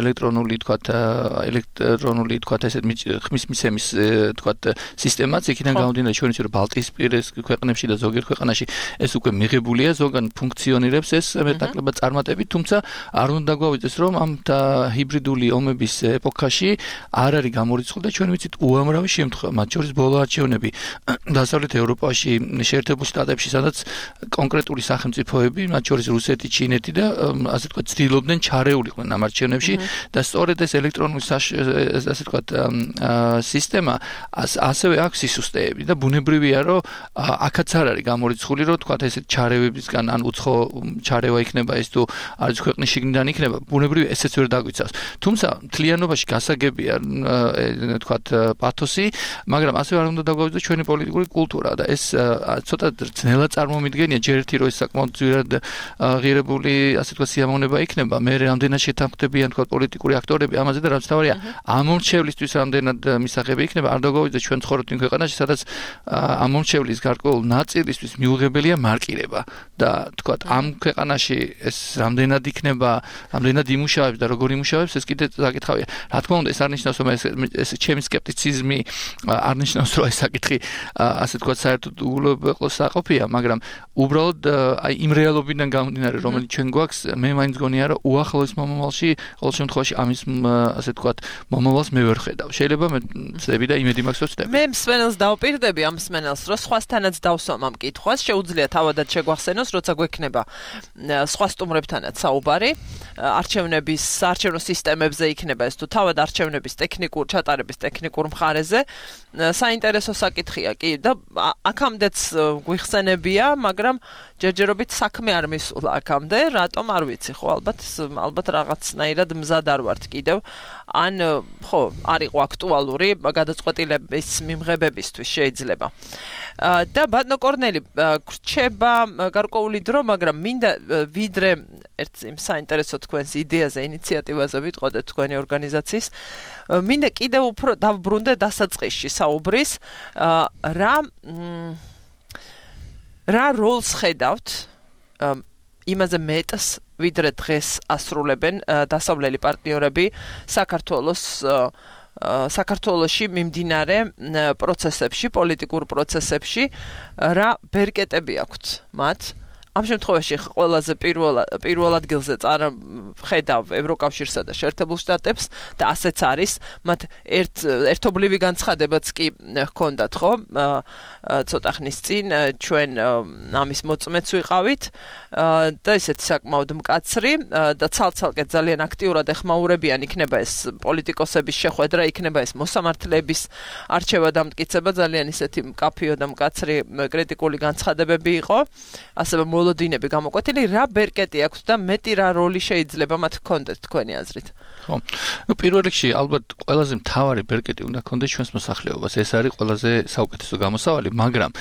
ელექტრონული ესეთ ხმის მისცემის სისტემაც, იქიდან გამომდინარე ჩვენ ვიცით, რომ ბალტიისპირის ქვეყნებში და ზოგიერთ ქვეყანაში ეს უკვე მიღებულია, ზოგან ფუნქციონირებს ეს მეტნაკლებად წარმატებით, თუმცა არ უნდა გვავიდეს, რომ ამ ჰიბრიდული ომების ეპოქაში არ არის გამორიცხული და ჩვენ ვიცით უამრავი შემთხვევა, მათ შორის ბოლო არჩევნები დასავლეთ ევროპაში, შეერთებულ შტატებში, სადაც კონკრეტული სახელმწიფოები, მათ შორის რუსეთი, ჩინეთი და ასე ვთქვათ, ცდილობდნენ ჩარეულიყვნენ ამ არჩევნებში და სწორედ ეს ელექტრონული ასე ვთქვათ სისტემა ასევე აქვს სისუსტეები და ბუნებრივია, რომ აქაც არ არის გამორიცხული, რომ თქვათ ესეთ ჩარევებისგან ან უცხო ჩარევა იქნება ეს თუ არის ქვეყნის შიგნიდან იქნება, ბუნებრივია ესეც ვერ დაგვიცავს. თუმცა მთლიანობაში გასაგებია თქვათ პათოსი, მაგრამ ასევე არ უნდა დაგვავიწყოს ჩვენი პოლიტიკური კულტურა და ეს ცოტა ძნელად წარმომიდგენია, ჯერ ერთი რომ ეს საკმაოდ ძვირად ღირებული ასე ვთქვათ სიამოვნება იქნება, მე რამდენად შეთანხმდებიან თქვათ პოლიტიკური აქტორები ამაზე და რაც თავარია ამომრჩევლისთვის რამდენად მისაღები იქნება, არ დაგვავიწყოს ჩვენ ცხოვრობთ იმ ქვეყანაში, სადაც ამომრჩევლის გარკვეულ ნაწილისთვის მიუღებელია მარკირება და თქვათ ამ ქვეყანაში ეს რამდენად იქნება, რამდენად იმუშავებს და როგორ იმუშავებს, ეს კიდე საკითხავია. რა თქმა უნდა, ეს არ ნიშნავს, რომ ეს ჩემი სკეპტიციზმი არ ნიშნავს, რომ ეს საკითხი ასე ვთქვათ საერთოდ უყოლოსაყოფია, მაგრამ უბრალოდ აი იმ რეალობიდან გამომდინარე, რომელიც ჩვენ გვაქვს, მე მაინც გონია, რომ უახლოეს მომავალში, ყოველ შემთხვევაში ამის ასე ვთქვათ, მომავალს მე ვერ ხედავ. შეიძლება მე წდები და იმედი მაქვს, რომ წდები. მე მსმენელს დავპირდები ამ მსმენელს, რომ სხვასთანაც დავსვამ ამ კითხვას, შეუძლია თავადაც შეგვახსენოს, როცა გვექნება სხვა სტუმრებთანაც საუბარი, არჩევნო სისტემებზე იქნება ეს თუ თავად არჩევნების ჩატარების ტექნიკურ მხარეზე, საინტერესო საკითხია კი და აქამდეც გვიხსენებია, მაგრამ ჯერჯერობით საქმე არ მისულა აქამდე, რატომ არ ვიცი, ხო, ალბათ რაღაცნაირად მზად არ ვართ კიდევ, ან ხო, არ იყო აქტუალური გადაწყვეტილების მიმღებებისთვის შეიძლება. და ბატონო კორნელი, გრჩება გარკვეული დრო, მაგრამ მინდა ვიდრე ერთ იმ საინტერესო თქვენს იდეაზე, ინიციატივაზე ვიტყოდეთ თქვენი ორგანიზაციის, მინდა კიდევ უფრო დავბრუნდე დასაწყისში საუბრის, რა როლს ხედავთ იმაზე მეტს, ვიდრე დღეს ასრულებენ დასავლელი პარტნიორები საქართველოში მიმდინარე პროცესებში, პოლიტიკურ პროცესებში, რა ბერკეტები აქვთ მათ? ამ შემთხვევაში ყველაზე პირველ ადგილზე ხედავ ევროკავშირსა და შეერთებულ შტატებს და ასეც არის, მათ ერთობლივი განცხადებაც კი ჰქონდათ, ხო? ცოტა ხნის წინ ჩვენ ამის მოწმეც ვიყავით და ისეთი საკმაოდ მკაცრი და ცალ-ცალკე ძალიან აქტიურად ეხმაურებიან იქნება ეს პოლიტიკოსების შეხვედრა, იქნება ეს მოსამართლეების არჩევა და მტკიცება, ძალიან ისეთი მკაფიო და მკაცრი კრიტიკული განცხადებები იყო, ასევე მოლოდინები გამოკვეთილი, რა ბერკეტი აქვს და მეტი რა როლი შეიძლება მათ ჰქონდეთ თქვენი აზრით? ხო. პირველ რიგში ალბათ ყველაზე მთავარი ბერკეტი უნდა ჰქონდეს ჩვენს მოსახლეობას. ეს არის ყველაზე საუკეთესო გამოსავალი, მაგრამ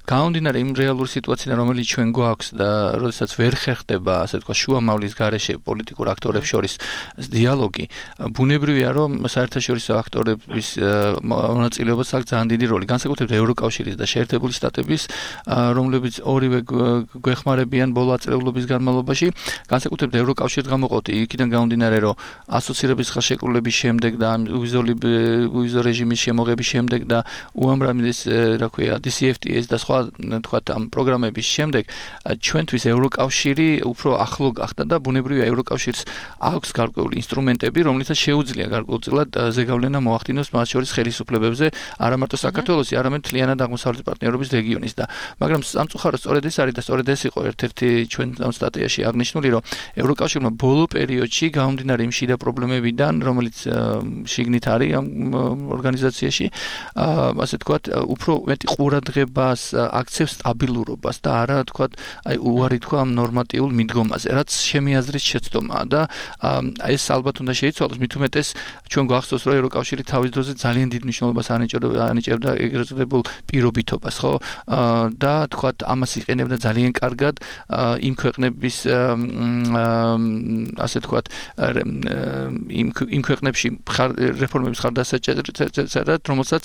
გამომდინარე იმ რეალური სიტუაციიდან, რომელიც ჩვენ გვაქვს და როდესაც ვერ ხერხდება, ასე ვთქვათ, შუამავლის გარეშე პოლიტიკურ აქტორებს შორის დიალოგი, ბუნებრივია, რომ საერთაშორისო აქტორების მონაწილეობაც აქვს ძალიან დიდი როლი. განსაკუთრებით ევროკავშირის და შეერთებული შტატების, რომლებიც ორივე გვეხმარებიან ბოლო აწლეულობის განმავლობაში, განსაკუთრებით ევროკავშირს გამოყოფთ იქიდან გამომდინარე, რომ ასოცირების ხელშეკრულების შემდეგ და ვიზო რეჟიმის შემოღების შემდეგ და უამრავი ეს, რა ქვია, DCFTA და სხვა სხვა თქვათ ამ პროგრამების შემდეგ ჩვენთვის ევროკავშირი უფრო ახლო გახდა და ბუნებრივია ევროკავშირს აქვს გარკვეული ინსტრუმენტები, რომლითაც შეუძლია გარკვეულწილად ზეგავლენა მოახდინოს მათ შორის ხელისუფლებებზე, არა მარტო საქართველოსი, არამედ მთლიანად აღმოსავლეთ პარტნიორობის რეგიონის და მაგრამ სამწუხაროდ სწორედ ეს არის და სწორედ ეს იყო ერთ-ერთი ჩვენ ამ სტატიაში აღნიშნული, რომ ევროკავშირმა ბოლო პერიოდში გამომდინარე იმ შიდა პრობლემებიდან, რომელიც შიგნით არის ამ ორგანიზაციაში, ასე თქვათ, უფრო მეტი ყურადღებას აქცევს სტაბილურობას და არა თქვათ, აი უარი თქვა ამ ნორმატიულ მიდგომაზე, რაც ჩემი აზრით შეცდომაა და ეს ალბათ უნდა შეიცვალოს, მით უმეტეს ჩვენ გვახსოვს, რომ ევროკავშირი თავის დროზე ძალიან დიდ მნიშვნელობას ანიჭებდა ეგრეთ წოდებულ პირობითობას, ხო? და თქვათ, ამას იყენებდა ძალიან კარგად იმ ქვეყნების ასე თქვათ, იმ ქვეყნებში რეფორმების ხარდასაჭერად, რომელსაც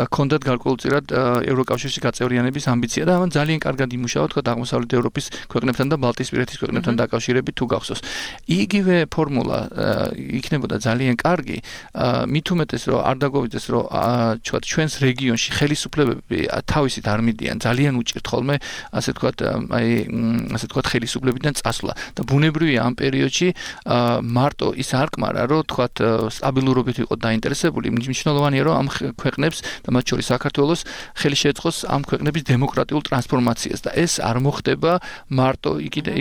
ჰქონდათ გარკვეულწილად ევროკავშირში გაწევრიანების ამბიცია და ამან ძალიან კარგად იმუშავა თქვათ აღმოსავლეთ ევროპის ქვეყნებთან და ბალტიისპირეთის ქვეყნებთან დაკავშირებით თუ გახსოვს. იგივე ფორმულა იქნებოდა ძალიან კარგი, მით უმეტეს რომ არ დაგვაუწყდეს რომ თქვათ ჩვენს რეგიონში ხელისუფლებები თავისით არ მიდიან, ძალიან უჭირთ ხოლმე ასე თქვათ ასე თქვათ ხელისუფლებიდან წასვლა და ბუნებრივია ამ პერიოდში მარტო ის არ კმარა რომ თქვათ სტაბილურობით იყო დაინტერესებული, მნიშვნელოვანია რომ ამ ქვეყნებს და მათ შორის საქართველოს ხელი შეეწყოს ამ ქვეყნების დემოკრატიულ ტრანსფორმაციას და ეს არ მოხდება მარტო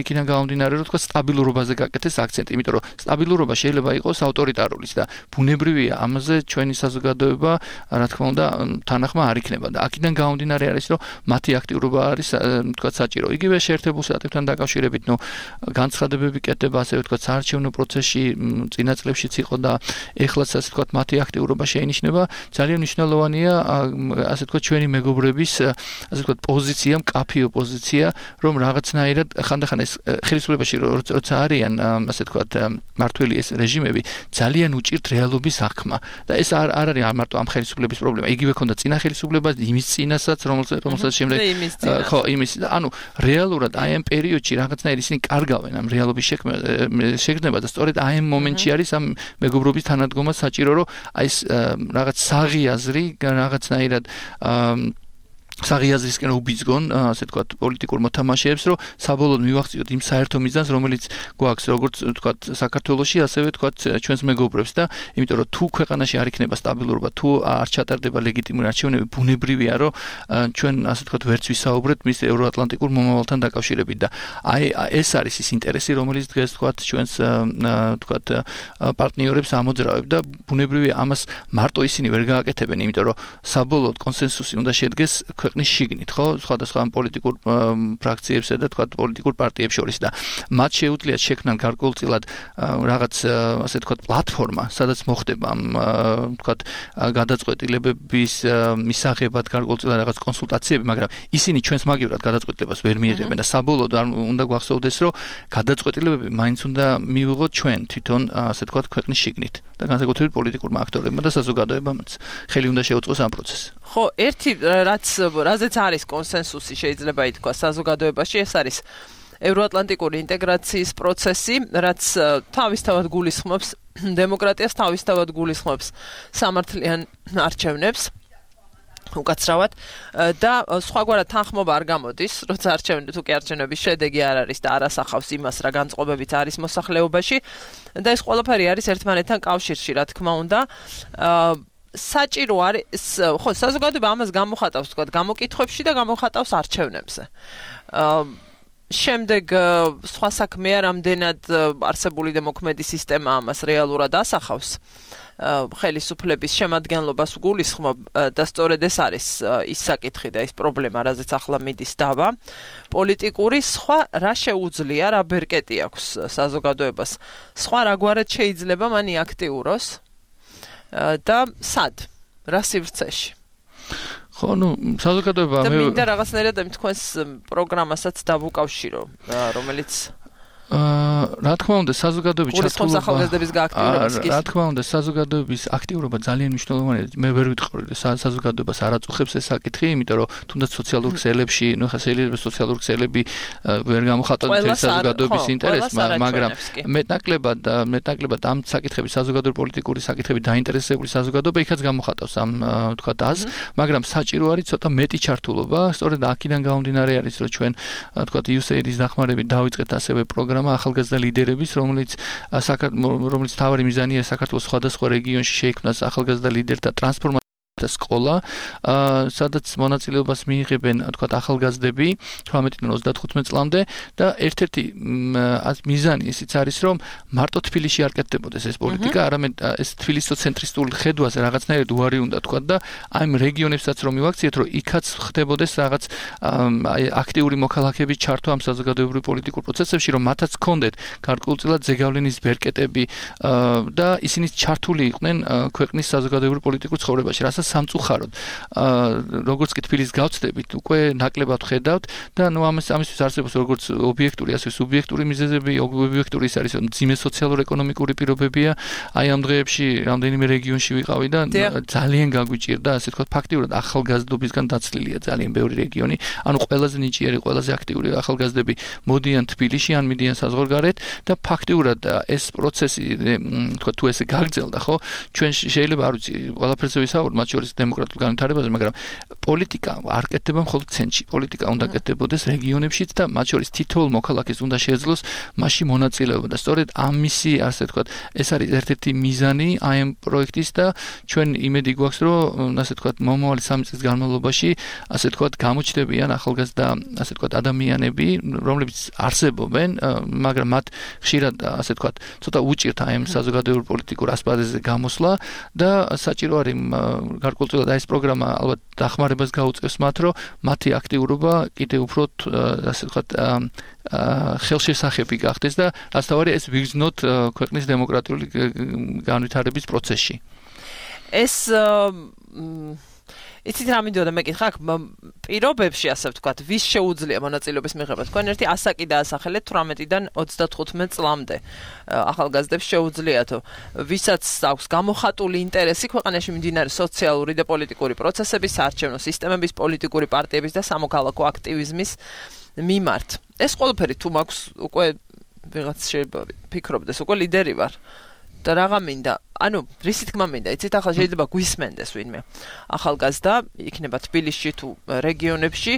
იქიდან გამომდინარე რომ თქვათ სტაბილურობაზე გაკეთეს აქცენტი, იმიტომ რომ სტაბილურობა შეიძლება იყოს ავტორიტარულიც და ბუნებრივია ამაზე ჩვენი საზოგადოება რა თქმა უნდა თანახმა არ იქნება და აქედან გამომდინარე არის რომ მათი აქტიურობა არის თქვათ საჭირო. იგივე შეერთებულ შტატებთან დაკავშირებით, განცხადებები კეთდება ასე ვთქვათ საარჩევნო პროცესში წინა წლებშიც იყო და ეხლაც ასე ვთქვათ მათი აქტიურობა შეინიშნება. ძალიან მნიშვნელოვანია ასე ვთქვათ ჩვენი მეგობრების ასე ვთქვათ პოზიცია, მკაფიო პოზიცია, რომ რაღაცნაირად ხანდახან ეს ხელისუფლებაში როცა არიან ასე ვთქვათ მართველი ეს რეჟიმები ძალიან უჭირთ რეალობის აღქმა და ეს არ არის მარტო ამ ხელისუფლების პრობლემა. იგივე ქონდა წინა ხელისუფლება, იმის წინასაც, რომელსაც შემდეგ ხო, იმის ანუ რეალურად აი ამ პერიოდში რაღაცნაირად ისინი კარგავენ ამ რეალობის შეგრძნება და სწორედ აი ამ მომენტში არის ამ მეგობრობის თანადგომა საჭირო, რომ აი ეს რაღაც საღიაზრი რაღაცნაირად საღიაზრისკენ უბიძგონ, ასე ვთქვათ, პოლიტიკურ მოთამაშეებს, რომ საბოლოოდ მივახციოთ იმ საერთო მიზანს, რომელიც გვაქვს, როგორც ვთქვათ, საქართველოში, ასევე ვთქვათ, ჩვენს მეგობრებს და იმიტომ რომ თუ ქვეყანაში არ იქნება სტაბილურობა, თუ არ ჩატარდება ლეგიტიმური არჩევნები, ბუნებრივია, რომ ჩვენ ასე ვთქვათ, ვერც ვისაუბრეთ მის ევროატლანტიკურ მომავალთან დაკავშირებით და აი ეს არის ის ინტერესი, რომელიც დღეს ვთქვათ, ჩვენს ვთქვათ, პარტნიორებს ამოძრავებ და ბუნებრივია ამას მარტო ისინი ვერ გააკეთებენ, იმიტომ რომ საბოლოოდ კონსენსუსი უნდა შედგეს ქვეყნის შიგნით, ხო, სხვადასხვა პოლიტიკურ ფრაქციებსა და თქვათ პოლიტიკურ პარტიებს შორის და მათ შეუძლიათ შექმნან გარკვეულწილად რაღაც ასე თქვათ პლატფორმა, სადაც მოხდება თქვათ გადაწყვეტილებების მისაღებად გარკვეულწილად რაღაც კონსულტაციები, მაგრამ ისინი ჩვენს მაგივრად გადაწყვეტილებას ვერ მიიღებენ და საბოლოოდ უნდა გვახსოვდეს, რომ გადაწყვეტილებები მაინც უნდა მივიღოთ ჩვენ თვითონ ასე თქვათ ქვეყნის შიგნით და განსაკუთრებით პოლიტიკურმა აქტორებმა და საზოგადოებამაც ხელი უნდა შეუწყოს ამ პროცესს. ხო, ერთი რაზეც არის კონსენსუსი შეიძლება ითქვა საზოგადოებაში, ეს არის ევროატლანტიკური ინტეგრაციის პროცესი, რაც თავისთავად გულისხმობს დემოკრატიას, თავისთავად გულისხმობს სამართლიან არჩევნებს. უკაცრავად და სხვაგვარად თანხმობა არ გამოდის, როცა არჩევნების შედეგი არ არის და არ ასახავს იმას, რა განწყობებიც არის მოსახლეობაში და ეს ყველაფერი არის ერთმანეთთან კავშირში, რა თქმა უნდა. საჭირო არის, ხო, საზოგადოება ამას გამოხატავს, თქვა, გამოკითხვებში და გამოხატავს არჩევნებზე. შემდეგ სხვა საქმეა, რამდენად არსებული დემოქმედი სისტემა ამას რეალურად ასახავს. ხელისუფლების შემადგენლობას გულისხმობ და სწორედ ეს არის ის საკითხი და ის პრობლემა, რაზეც ახლა მიდის დავა. პოლიტიკური სხვა რა შეუძლია, რა ბერკეტი აქვს საზოგადოებას. სხვა რაგვარად შეიძლება მან აქტიუროს და სად? რა სივრცეში? ხო, საზოგადოება და მინდა რაღაცნაირად ამ თქვენს პროგრამასაც დავუკავშირო, რომელიც რა თქმა უნდა, საზოგადოების ჩართულობა ახალგაზრდების გააქტიურებას კი. რა თქმა უნდა, საზოგადოების აქტიურობა ძალიან მნიშვნელოვანია. მე ვერ ვიტყვი, საზოგადოებას არ აწუხებს ეს საკითხი, იმიტომ რომ თუნდაც სოციალურ ქსელებში, ხა შეიძლება სოციალურ ქსელები ვერ გამოხატონ საზოგადოების ინტერესს, მაგრამ მეტნაკლებად ამ საკითხების საზოგადოებრივი პოლიტიკური საკითხები დაინტერესებული საზოგადოება იქაც გამოხატავს ამ თქვა აზრს, მაგრამ საჭირო არის ცოტა მეტი ჩართულობა, სწორედ აქედან გამომდინარე არის, რომ ჩვენ თქვა USAID-ის დახმარებით დავიწყეთ ასევე პროგრამა ახალგაზრდა ლიდერების, რომელიც თავარი მიზანია საქართველოს სხვადასხვა რეგიონში შეიქმნას ახალგაზრდა ლიდერთა ტრანსფორმაცია სკოლა, სადაც მონაწილეობას მიიღებენ, თქვათ, ახალგაზრდები 18-35 წლამდე და ერთ-ერთი მიზანი ისიც არის, რომ მარტო თბილისში არ კეთდებოდეს ეს პოლიტიკა, არამედ ეს თბილისოცენტრისტული ხედვაზე რაღაცნაირად უარი უნდა თქვათ და აი ამ რეგიონებსაც რომ მივაქციეთ, რომ იქაც ხდებოდეს რაღაც აქტიური მოქალაქეების ჩართვა ამ საზოგადოებრივ პოლიტიკურ პროცესებში, რომ მათაც ჰქონდეთ გარკვეულწილად ზეგავლენის ბერკეტები და ისინი ჩართული იყვნენ ქვეყნის საზოგადოებრივ პოლიტიკურ ცხოვრებაში, რასაც სამწუხაროდ როგორც კი თბილისს გავწდებით უკვე ნაკლებად ხედავთ და ამისთვის არსებობს როგორც ობიექტური ასე სუბიექტური მიზეზები ობიექტური ის არის რომ ძიმე სოციალურ-ეკონომიკური პირობებია აი ამ დღეებში რამდენიმე რეგიონში ვიყავი და ძალიან გაგვიჭირდა ასე თქვა ფაქტიურად ახალგაზრდობისგან დაცლილია ძალიან ბევრი რეგიონი ანუ ყველაზე ნიჭიერი ყველაზე აქტიური ახალგაზრდები მოდიან თბილისში ან მიდიან საზღვარგარეთ და ფაქტიურად ეს პროცესი თქვა თუ ესე გაგრძელდა ხო ჩვენ შეიძლება არ ვიცი ყველაფერზე ვისაუბროთ მათ შორის დემოკრატიულ განვითარებაზე, მაგრამ პოლიტიკა არ კეთდება მხოლოდ ცენტრში. პოლიტიკა უნდა კეთდებოდეს რეგიონებშიც და მათ შორის თითოეულ მოქალაქეს უნდა შეეძლოს მასში მონაწილეობა და სწორედ ამისი, ასე ვთქვათ, ეს არის ერთ-ერთი მიზანი აი ამ პროექტის და ჩვენ იმედი გვაქვს, რომ ასე ვთქვათ, მომავალი 3 წლის განმავლობაში, ასე ვთქვათ, გამოჩნდებიან ახალგაზრდა, ასე ვთქვათ, ადამიანები, რომლებიც არსებობენ, მაგრამ მათ ხშირად, ასე ვთქვათ, ცოტა უჭირთ აი ამ საზოგადოებრივ პოლიტიკურ ასპარეზზე გამოსვლა და საჭირო არის გარკვეულწილად ეს პროგრამა ალბათ დახმარებას გაუწევს მათ, რომ მათი აქტიურობა კიდევ უფრო ასე ვთქვათ ხელშესახები გახდეს და რაც თავარია ეს ვიგრძნოთ ქვეყნის დემოკრატიული განვითარების პროცესში. ეს იცით რა მინდოდა მეკითხა აქ პირობებში ასე ვთქვათ ვის შეუძლია მონაწილეობის მიღება თქვენ ერთი ასაკი დაასახელეთ 18-დან 35 წლამდე ახალგაზრდებს შეუძლიათო ვისაც აქვს გამოხატული ინტერესი ქვეყანაში მიმდინარე სოციალური და პოლიტიკური პროცესების საარჩევნო სისტემების პოლიტიკური პარტიების და სამოქალაქო აქტივიზმის მიმართ ეს ყველაფერი თუ მაქვს უკვე ვიღაც შეიძლება ფიქრობდეს უკვე ლიდერი ვარ და რაღა მინდა ანუ რისი თქმა მინდა იცით ახლა შეიძლება გვისმენდეს ვინმე ახალგაზრდა იქნება თბილისში თუ რეგიონებში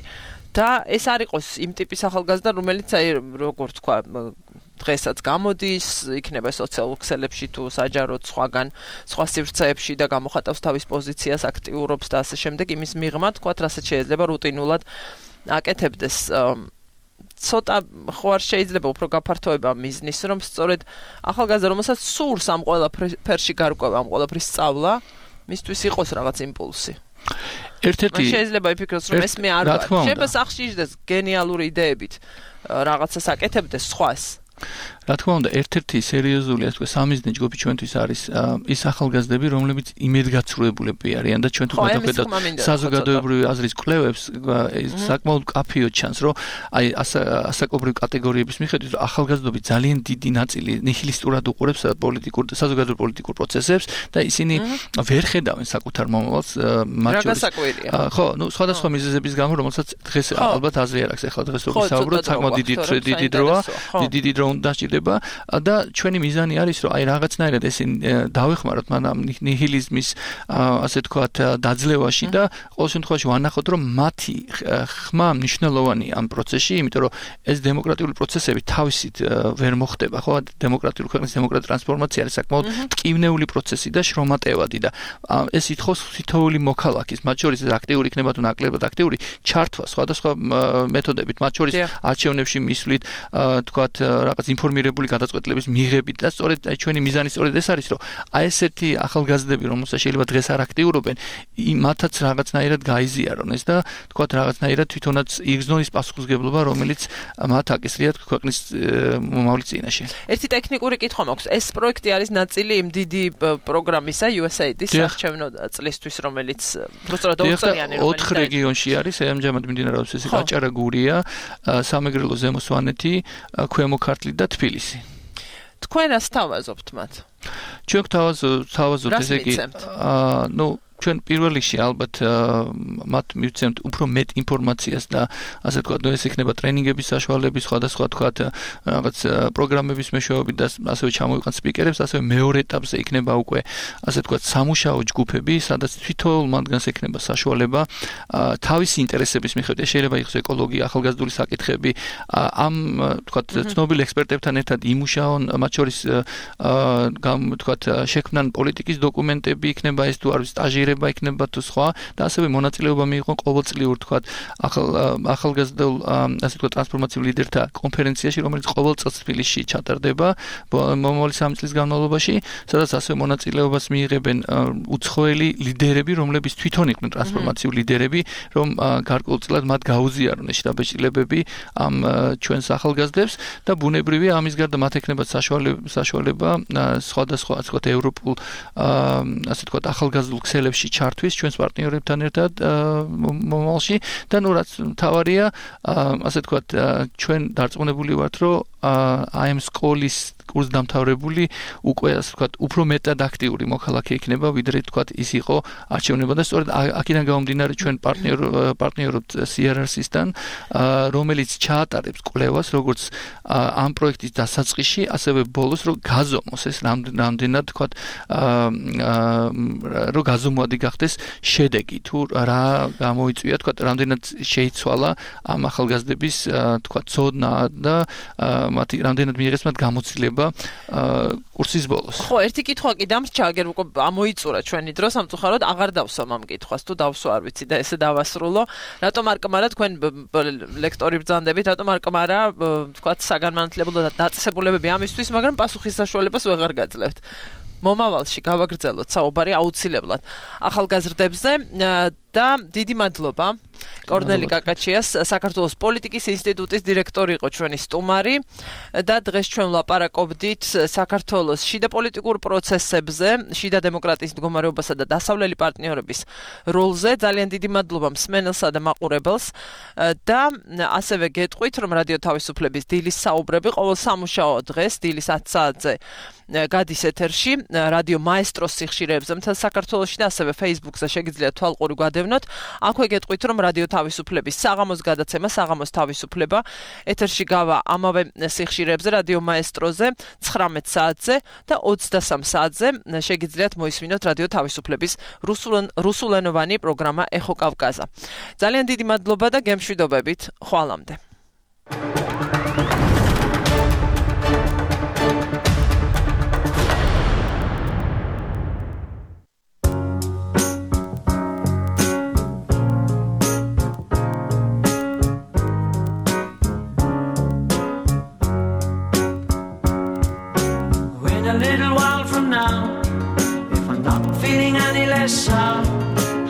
და ეს არ იყოს იმ ტიპის ახალგაზრდა რომელიც აი როგორ თქვა დღესაც გამოდის იქნება სოციალურ ქსელებში თუ საჯაროდ სხვაგან სხვა სივრცეებში და გამოხატავს თავის პოზიციას აქტიურობს და ასე შემდეგ იმის მიღმა თქვა რასაც შეიძლება რუტინულად აკეთებდეს ცოტა ხო არ შეიძლება უფრო გაფართოება მიზნის რომ სწორედ ახალგაზრდა რომელსაც სურს ამ ყველაფერში გარკვევა ამ ყველაფრის სწავლა მისთვის იყოს რაღაც იმპულსი ერთ-ერთი შეიძლება იფიქროს რომ ეს მე არ ვარ შეიძლება სახში იჯდეს გენიალური იდეებით რაღაცას აკეთებდეს სხვას რა თქმა უნდა ერთ-ერთი სერიოზული ასე სამიზნე ჯგუფი ჩვენთვის არის ის ახალგაზრდები რომლებიც იმედგაცრუებულები არიან და ჩვენ თუ გადავხედავთ საზოგადოებრივი აზრის კვლევებს საკმაოდ კაფეო ჩანს რომ აი ასაკობრივი კატეგორიების მიხედვით ახალგაზრდები ძალიან დიდი ნაწილი ნიჰილისტურად უყურებს პოლიტიკურ და საზოგადოებრივ პოლიტიკურ პროცესებს და ისინი ვერ ხედავენ საკუთარ მომავალს მათ შორის ხო ნუ სხვადასხვა მიზეზების გამო რომელსაც დღეს ალბათ აზრი არ აქვს ახლა დღეს რო ვისაუბროთ საკმაოდ დიდი დროა დიდი დრო უნდა და ჩვენი მიზანი არის რომ აი რაღაცნაირად ესე დავეხმაროთ მანამ ნიჰილიზმის ასე თქვათ დაძლევაში და ყოველ შემთხვევაში ვანახოთ რომ მათი ხმა მნიშვნელოვანი ამ პროცესში იმიტომ რომ ეს დემოკრატიული პროცესები თავისით ვერ მოხდება ხო დემოკრატიული ქვეყნის დემოკრატიული ტრანსფორმაცია არის საკმაოდ ტკივნეული პროცესი და შრომატევადი და ეს ითხოვს თითოეული მოქალაქის მათ შორის აქტიური იქნება თუ ნაკლებად აქტიური ჩართვა სხვადასხვა მეთოდებით მათ შორის არჩევნებში მისვლით თქვათ რაღაც ინფორმირება მოტივირებული გადაწყვეტილების მიღებით და სწორედ ჩვენი მიზანი სწორედ ეს არის, რომ აი ესეთი ახალგაზრდები, რომელსაც შეიძლება დღეს არ აქტიურობენ, მათაც რაღაცნაირად გაიზიარონ ეს და თქვათ რაღაცნაირად თვითონაც იგრძნონ ის პასუხისმგებლობა, რომელიც მათ აკისრიათ ქვეყნის მომავლის წინაშე. ერთი ტექნიკური კითხვა მაქვს. ეს პროექტი არის ნაწილი იმ დიდი პროგრამისა USAID-ის საარჩევნო წლისთვის, რომელიც უბრალოდ 2 წლიანი 4 რეგიონში არის, ამჟამად მიმდინარეობს ეს გაჭარა, გურია, სამეგრელო, ზემო სვანეთი, ქვემო ქართლი და თბილისი. თქვენ რას თავაზობთ მათ? ჩვენ თავაზობთ ესე იგი, ჩვენ პირველ რიგში ალბათ მათ მივცემთ უფრო მეტ ინფორმაციას და ასე ვთქვათ, ეს იქნება ტრენინგების საშუალების, სხვადასხვა თქვათ რაღაც პროგრამების მეშვეობით და ასევე ჩამოვიყენთ სპიკერებს, ასევე მეორე ეტაპზე იქნება უკვე ასე ვთქვათ სამუშაო ჯგუფები, სადაც თვითონ მათგანს ექნება საშუალება თავისი ინტერესების მიხედვით, შეიძლება იყოს ეკოლოგია, ახალგაზრდული საკითხები, ამ ვთქვათ ცნობილ ექსპერტებთან ერთად იმუშაონ, მათ შორის ვთქვათ შექმნან პოლიტიკის დოკუმენტები, იქნება ეს თუ არის სტაჟი იქნება თუ სხვა და ასევე მონაწილეობა მიიღონ ყოველწლიურ თქვათ ახალგაზრდულ ასე ვთქვათ ტრანსფორმაციულ ლიდერთა კონფერენციაში, რომელიც ყოველ წელს თბილისში ჩატარდება მომავალი 3 წლის განმავლობაში, სადაც ასევე მონაწილეობას მიიღებენ უცხოელი ლიდერები, რომლებიც თვითონ იყვნენ ტრანსფორმაციულ ლიდერები, რომ გარკვეულწილად მათ გაუზიარონ ეს შთაბეჭდილებები ამ ჩვენს ახალგაზრდებს და ბუნებრივია ამის გარდა მათ ექნებათ საშუალება სხვადასხვა ასე ვთქვათ ევროპულ ასე ვთქვათ ახალგაზრდულ ქსელებში ჩართვის ჩვენს პარტნიორებთან ერთად მომავალში და რაც მთავარია ასე ვთქვათ ჩვენ დარწმუნებული ვართ, რომ აი ამ სკოლის კურსდამთავრებული უკვე ასე ვთქვათ უფრო მეტად აქტიური მოქალაქე იქნება, ვიდრე ვთქვათ ის იყო არჩევნება და სწორედ აქედან გამომდინარე ჩვენ პარტნიორობთ CRRC-სთან, რომელიც ჩაატარებს კვლევას როგორც ამ პროექტის დასაწყისში, ასევე ბოლოს რომ გაზომოს ეს რამდენად ვთქვათ რომ გაზომვადი გახდეს შედეგი, თუ რა გამოიწვია ვთქვათ რამდენად შეიცვალა ამ ახალგაზრდების ვთქვათ ცოდნა და მათი რამდენად მიიღეს მათ გამოცდილება კურსის ბოლოს. ხო, ერთი კითხვა კი დამრჩა, აგერ უკვე ამოიწურა ჩვენი დრო, სამწუხაროდ აღარ დავსვამ ამ კითხვას, თუ დავსვა არ ვიცი და ესე დავასრულო. რატომ არ კმარა თქვენ ლექტორი ბრძანდებით, რატომ არ კმარა ვთქვათ საგანმანათლებლო დაწესებულებები ამისთვის, მაგრამ პასუხის საშუალებას ვეღარ გაძლევთ. მომავალში გავაგრძელოთ საუბარი აუცილებლად ახალგაზრდებზე და დიდი მადლობა კორნელი კაკაჩიას, საქართველოს პოლიტიკის ინსტიტუტის დირექტორი იყო ჩვენი სტუმარი და დღეს ჩვენ ვლაპარაკობდით საქართველოს შიდა პოლიტიკურ პროცესებზე, შიდა დემოკრატიის მდგომარეობასა და დასავლელი პარტნიორების როლზე. ძალიან დიდი მადლობა მსმენელსა და მაყურებელს და ასევე გეტყვით, რომ რადიო თავისუფლების დილის საუბრები ყოველ სამუშაო დღეს დილის 10 საათზე გადის ეთერში რადიო მაესტროს სიხშირეებზე მთელ საქართველოში და ასევე Facebook-ზე შეგიძლიათ თვალყური გვადევნოთ. აქვე გეტყვით, რომ რადიო თავისუფლების საღამოს გადაცემა საღამოს თავისუფლება ეთერში გავა ამავე სიხშირეებზე რადიო მაესტროზე 19 საათზე და 23 საათზე შეგიძლიათ მოისმინოთ რადიო თავისუფლების რუსულენოვანი პროგრამა ეხო კავკაზა. ძალიან დიდი მადლობა და გემშვიდობებით ხვალამდე.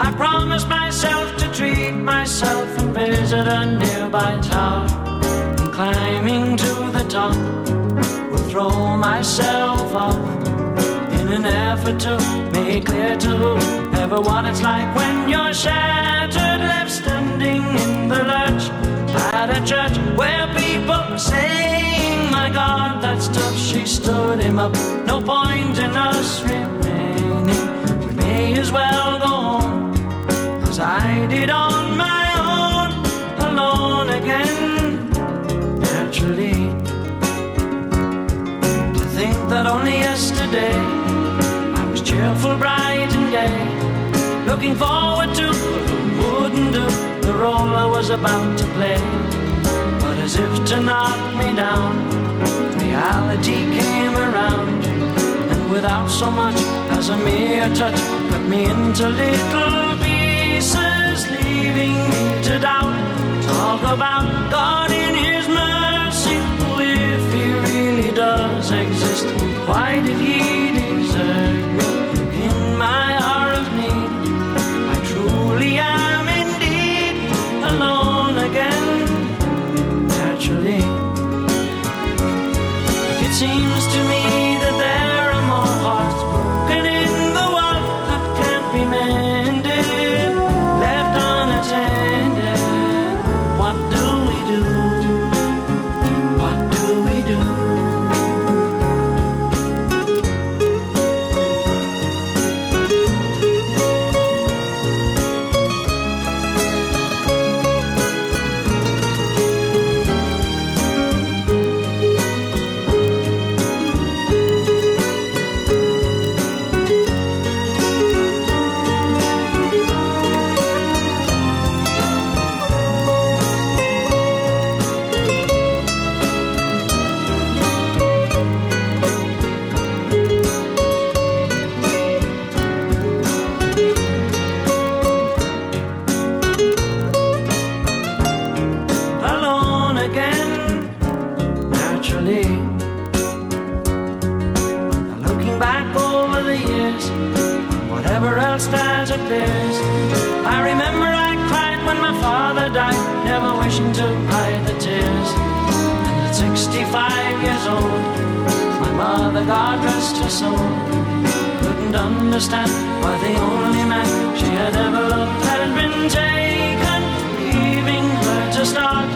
I promise myself to treat myself and visit a nearby tower. And climbing to the top, will throw myself up in an effort to make clear to everyone it's like when you're shattered, left standing in the lurch at a church where people are saying, "My God, that's tough." She stood him up. No point in us remaining. We may as well go on as I did on my own, alone again. Naturally, to think that only yesterday I was cheerful, bright and gay, looking forward to who wouldn't do the role I was about to play. But as if to knock me down, reality came around, and without so much as a mere touch, cut me into little pieces, leaving me to doubt. Talk about God in His mercy, if He really does. seems to me that there are more hearts broken in the world that can't be mended, left unattended. What do we do? What do we do? Alone again, naturally. Looking back over the years, whatever else that appears, I remember I cried when my father died, never wishing to hide the tears. And at 65 years old, my mother, God rest her soul, couldn't understand why the only man she had ever loved had been taken, leaving her to start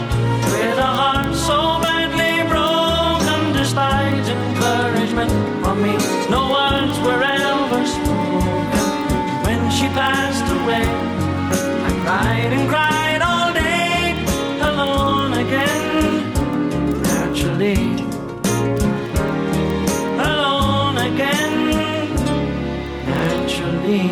with a heart so badly broken. Despite encouragement from me, no words were ever spoken. When she passed away, I cried and cried all day, alone again, naturally. Alone again, naturally.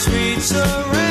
sweet surrender.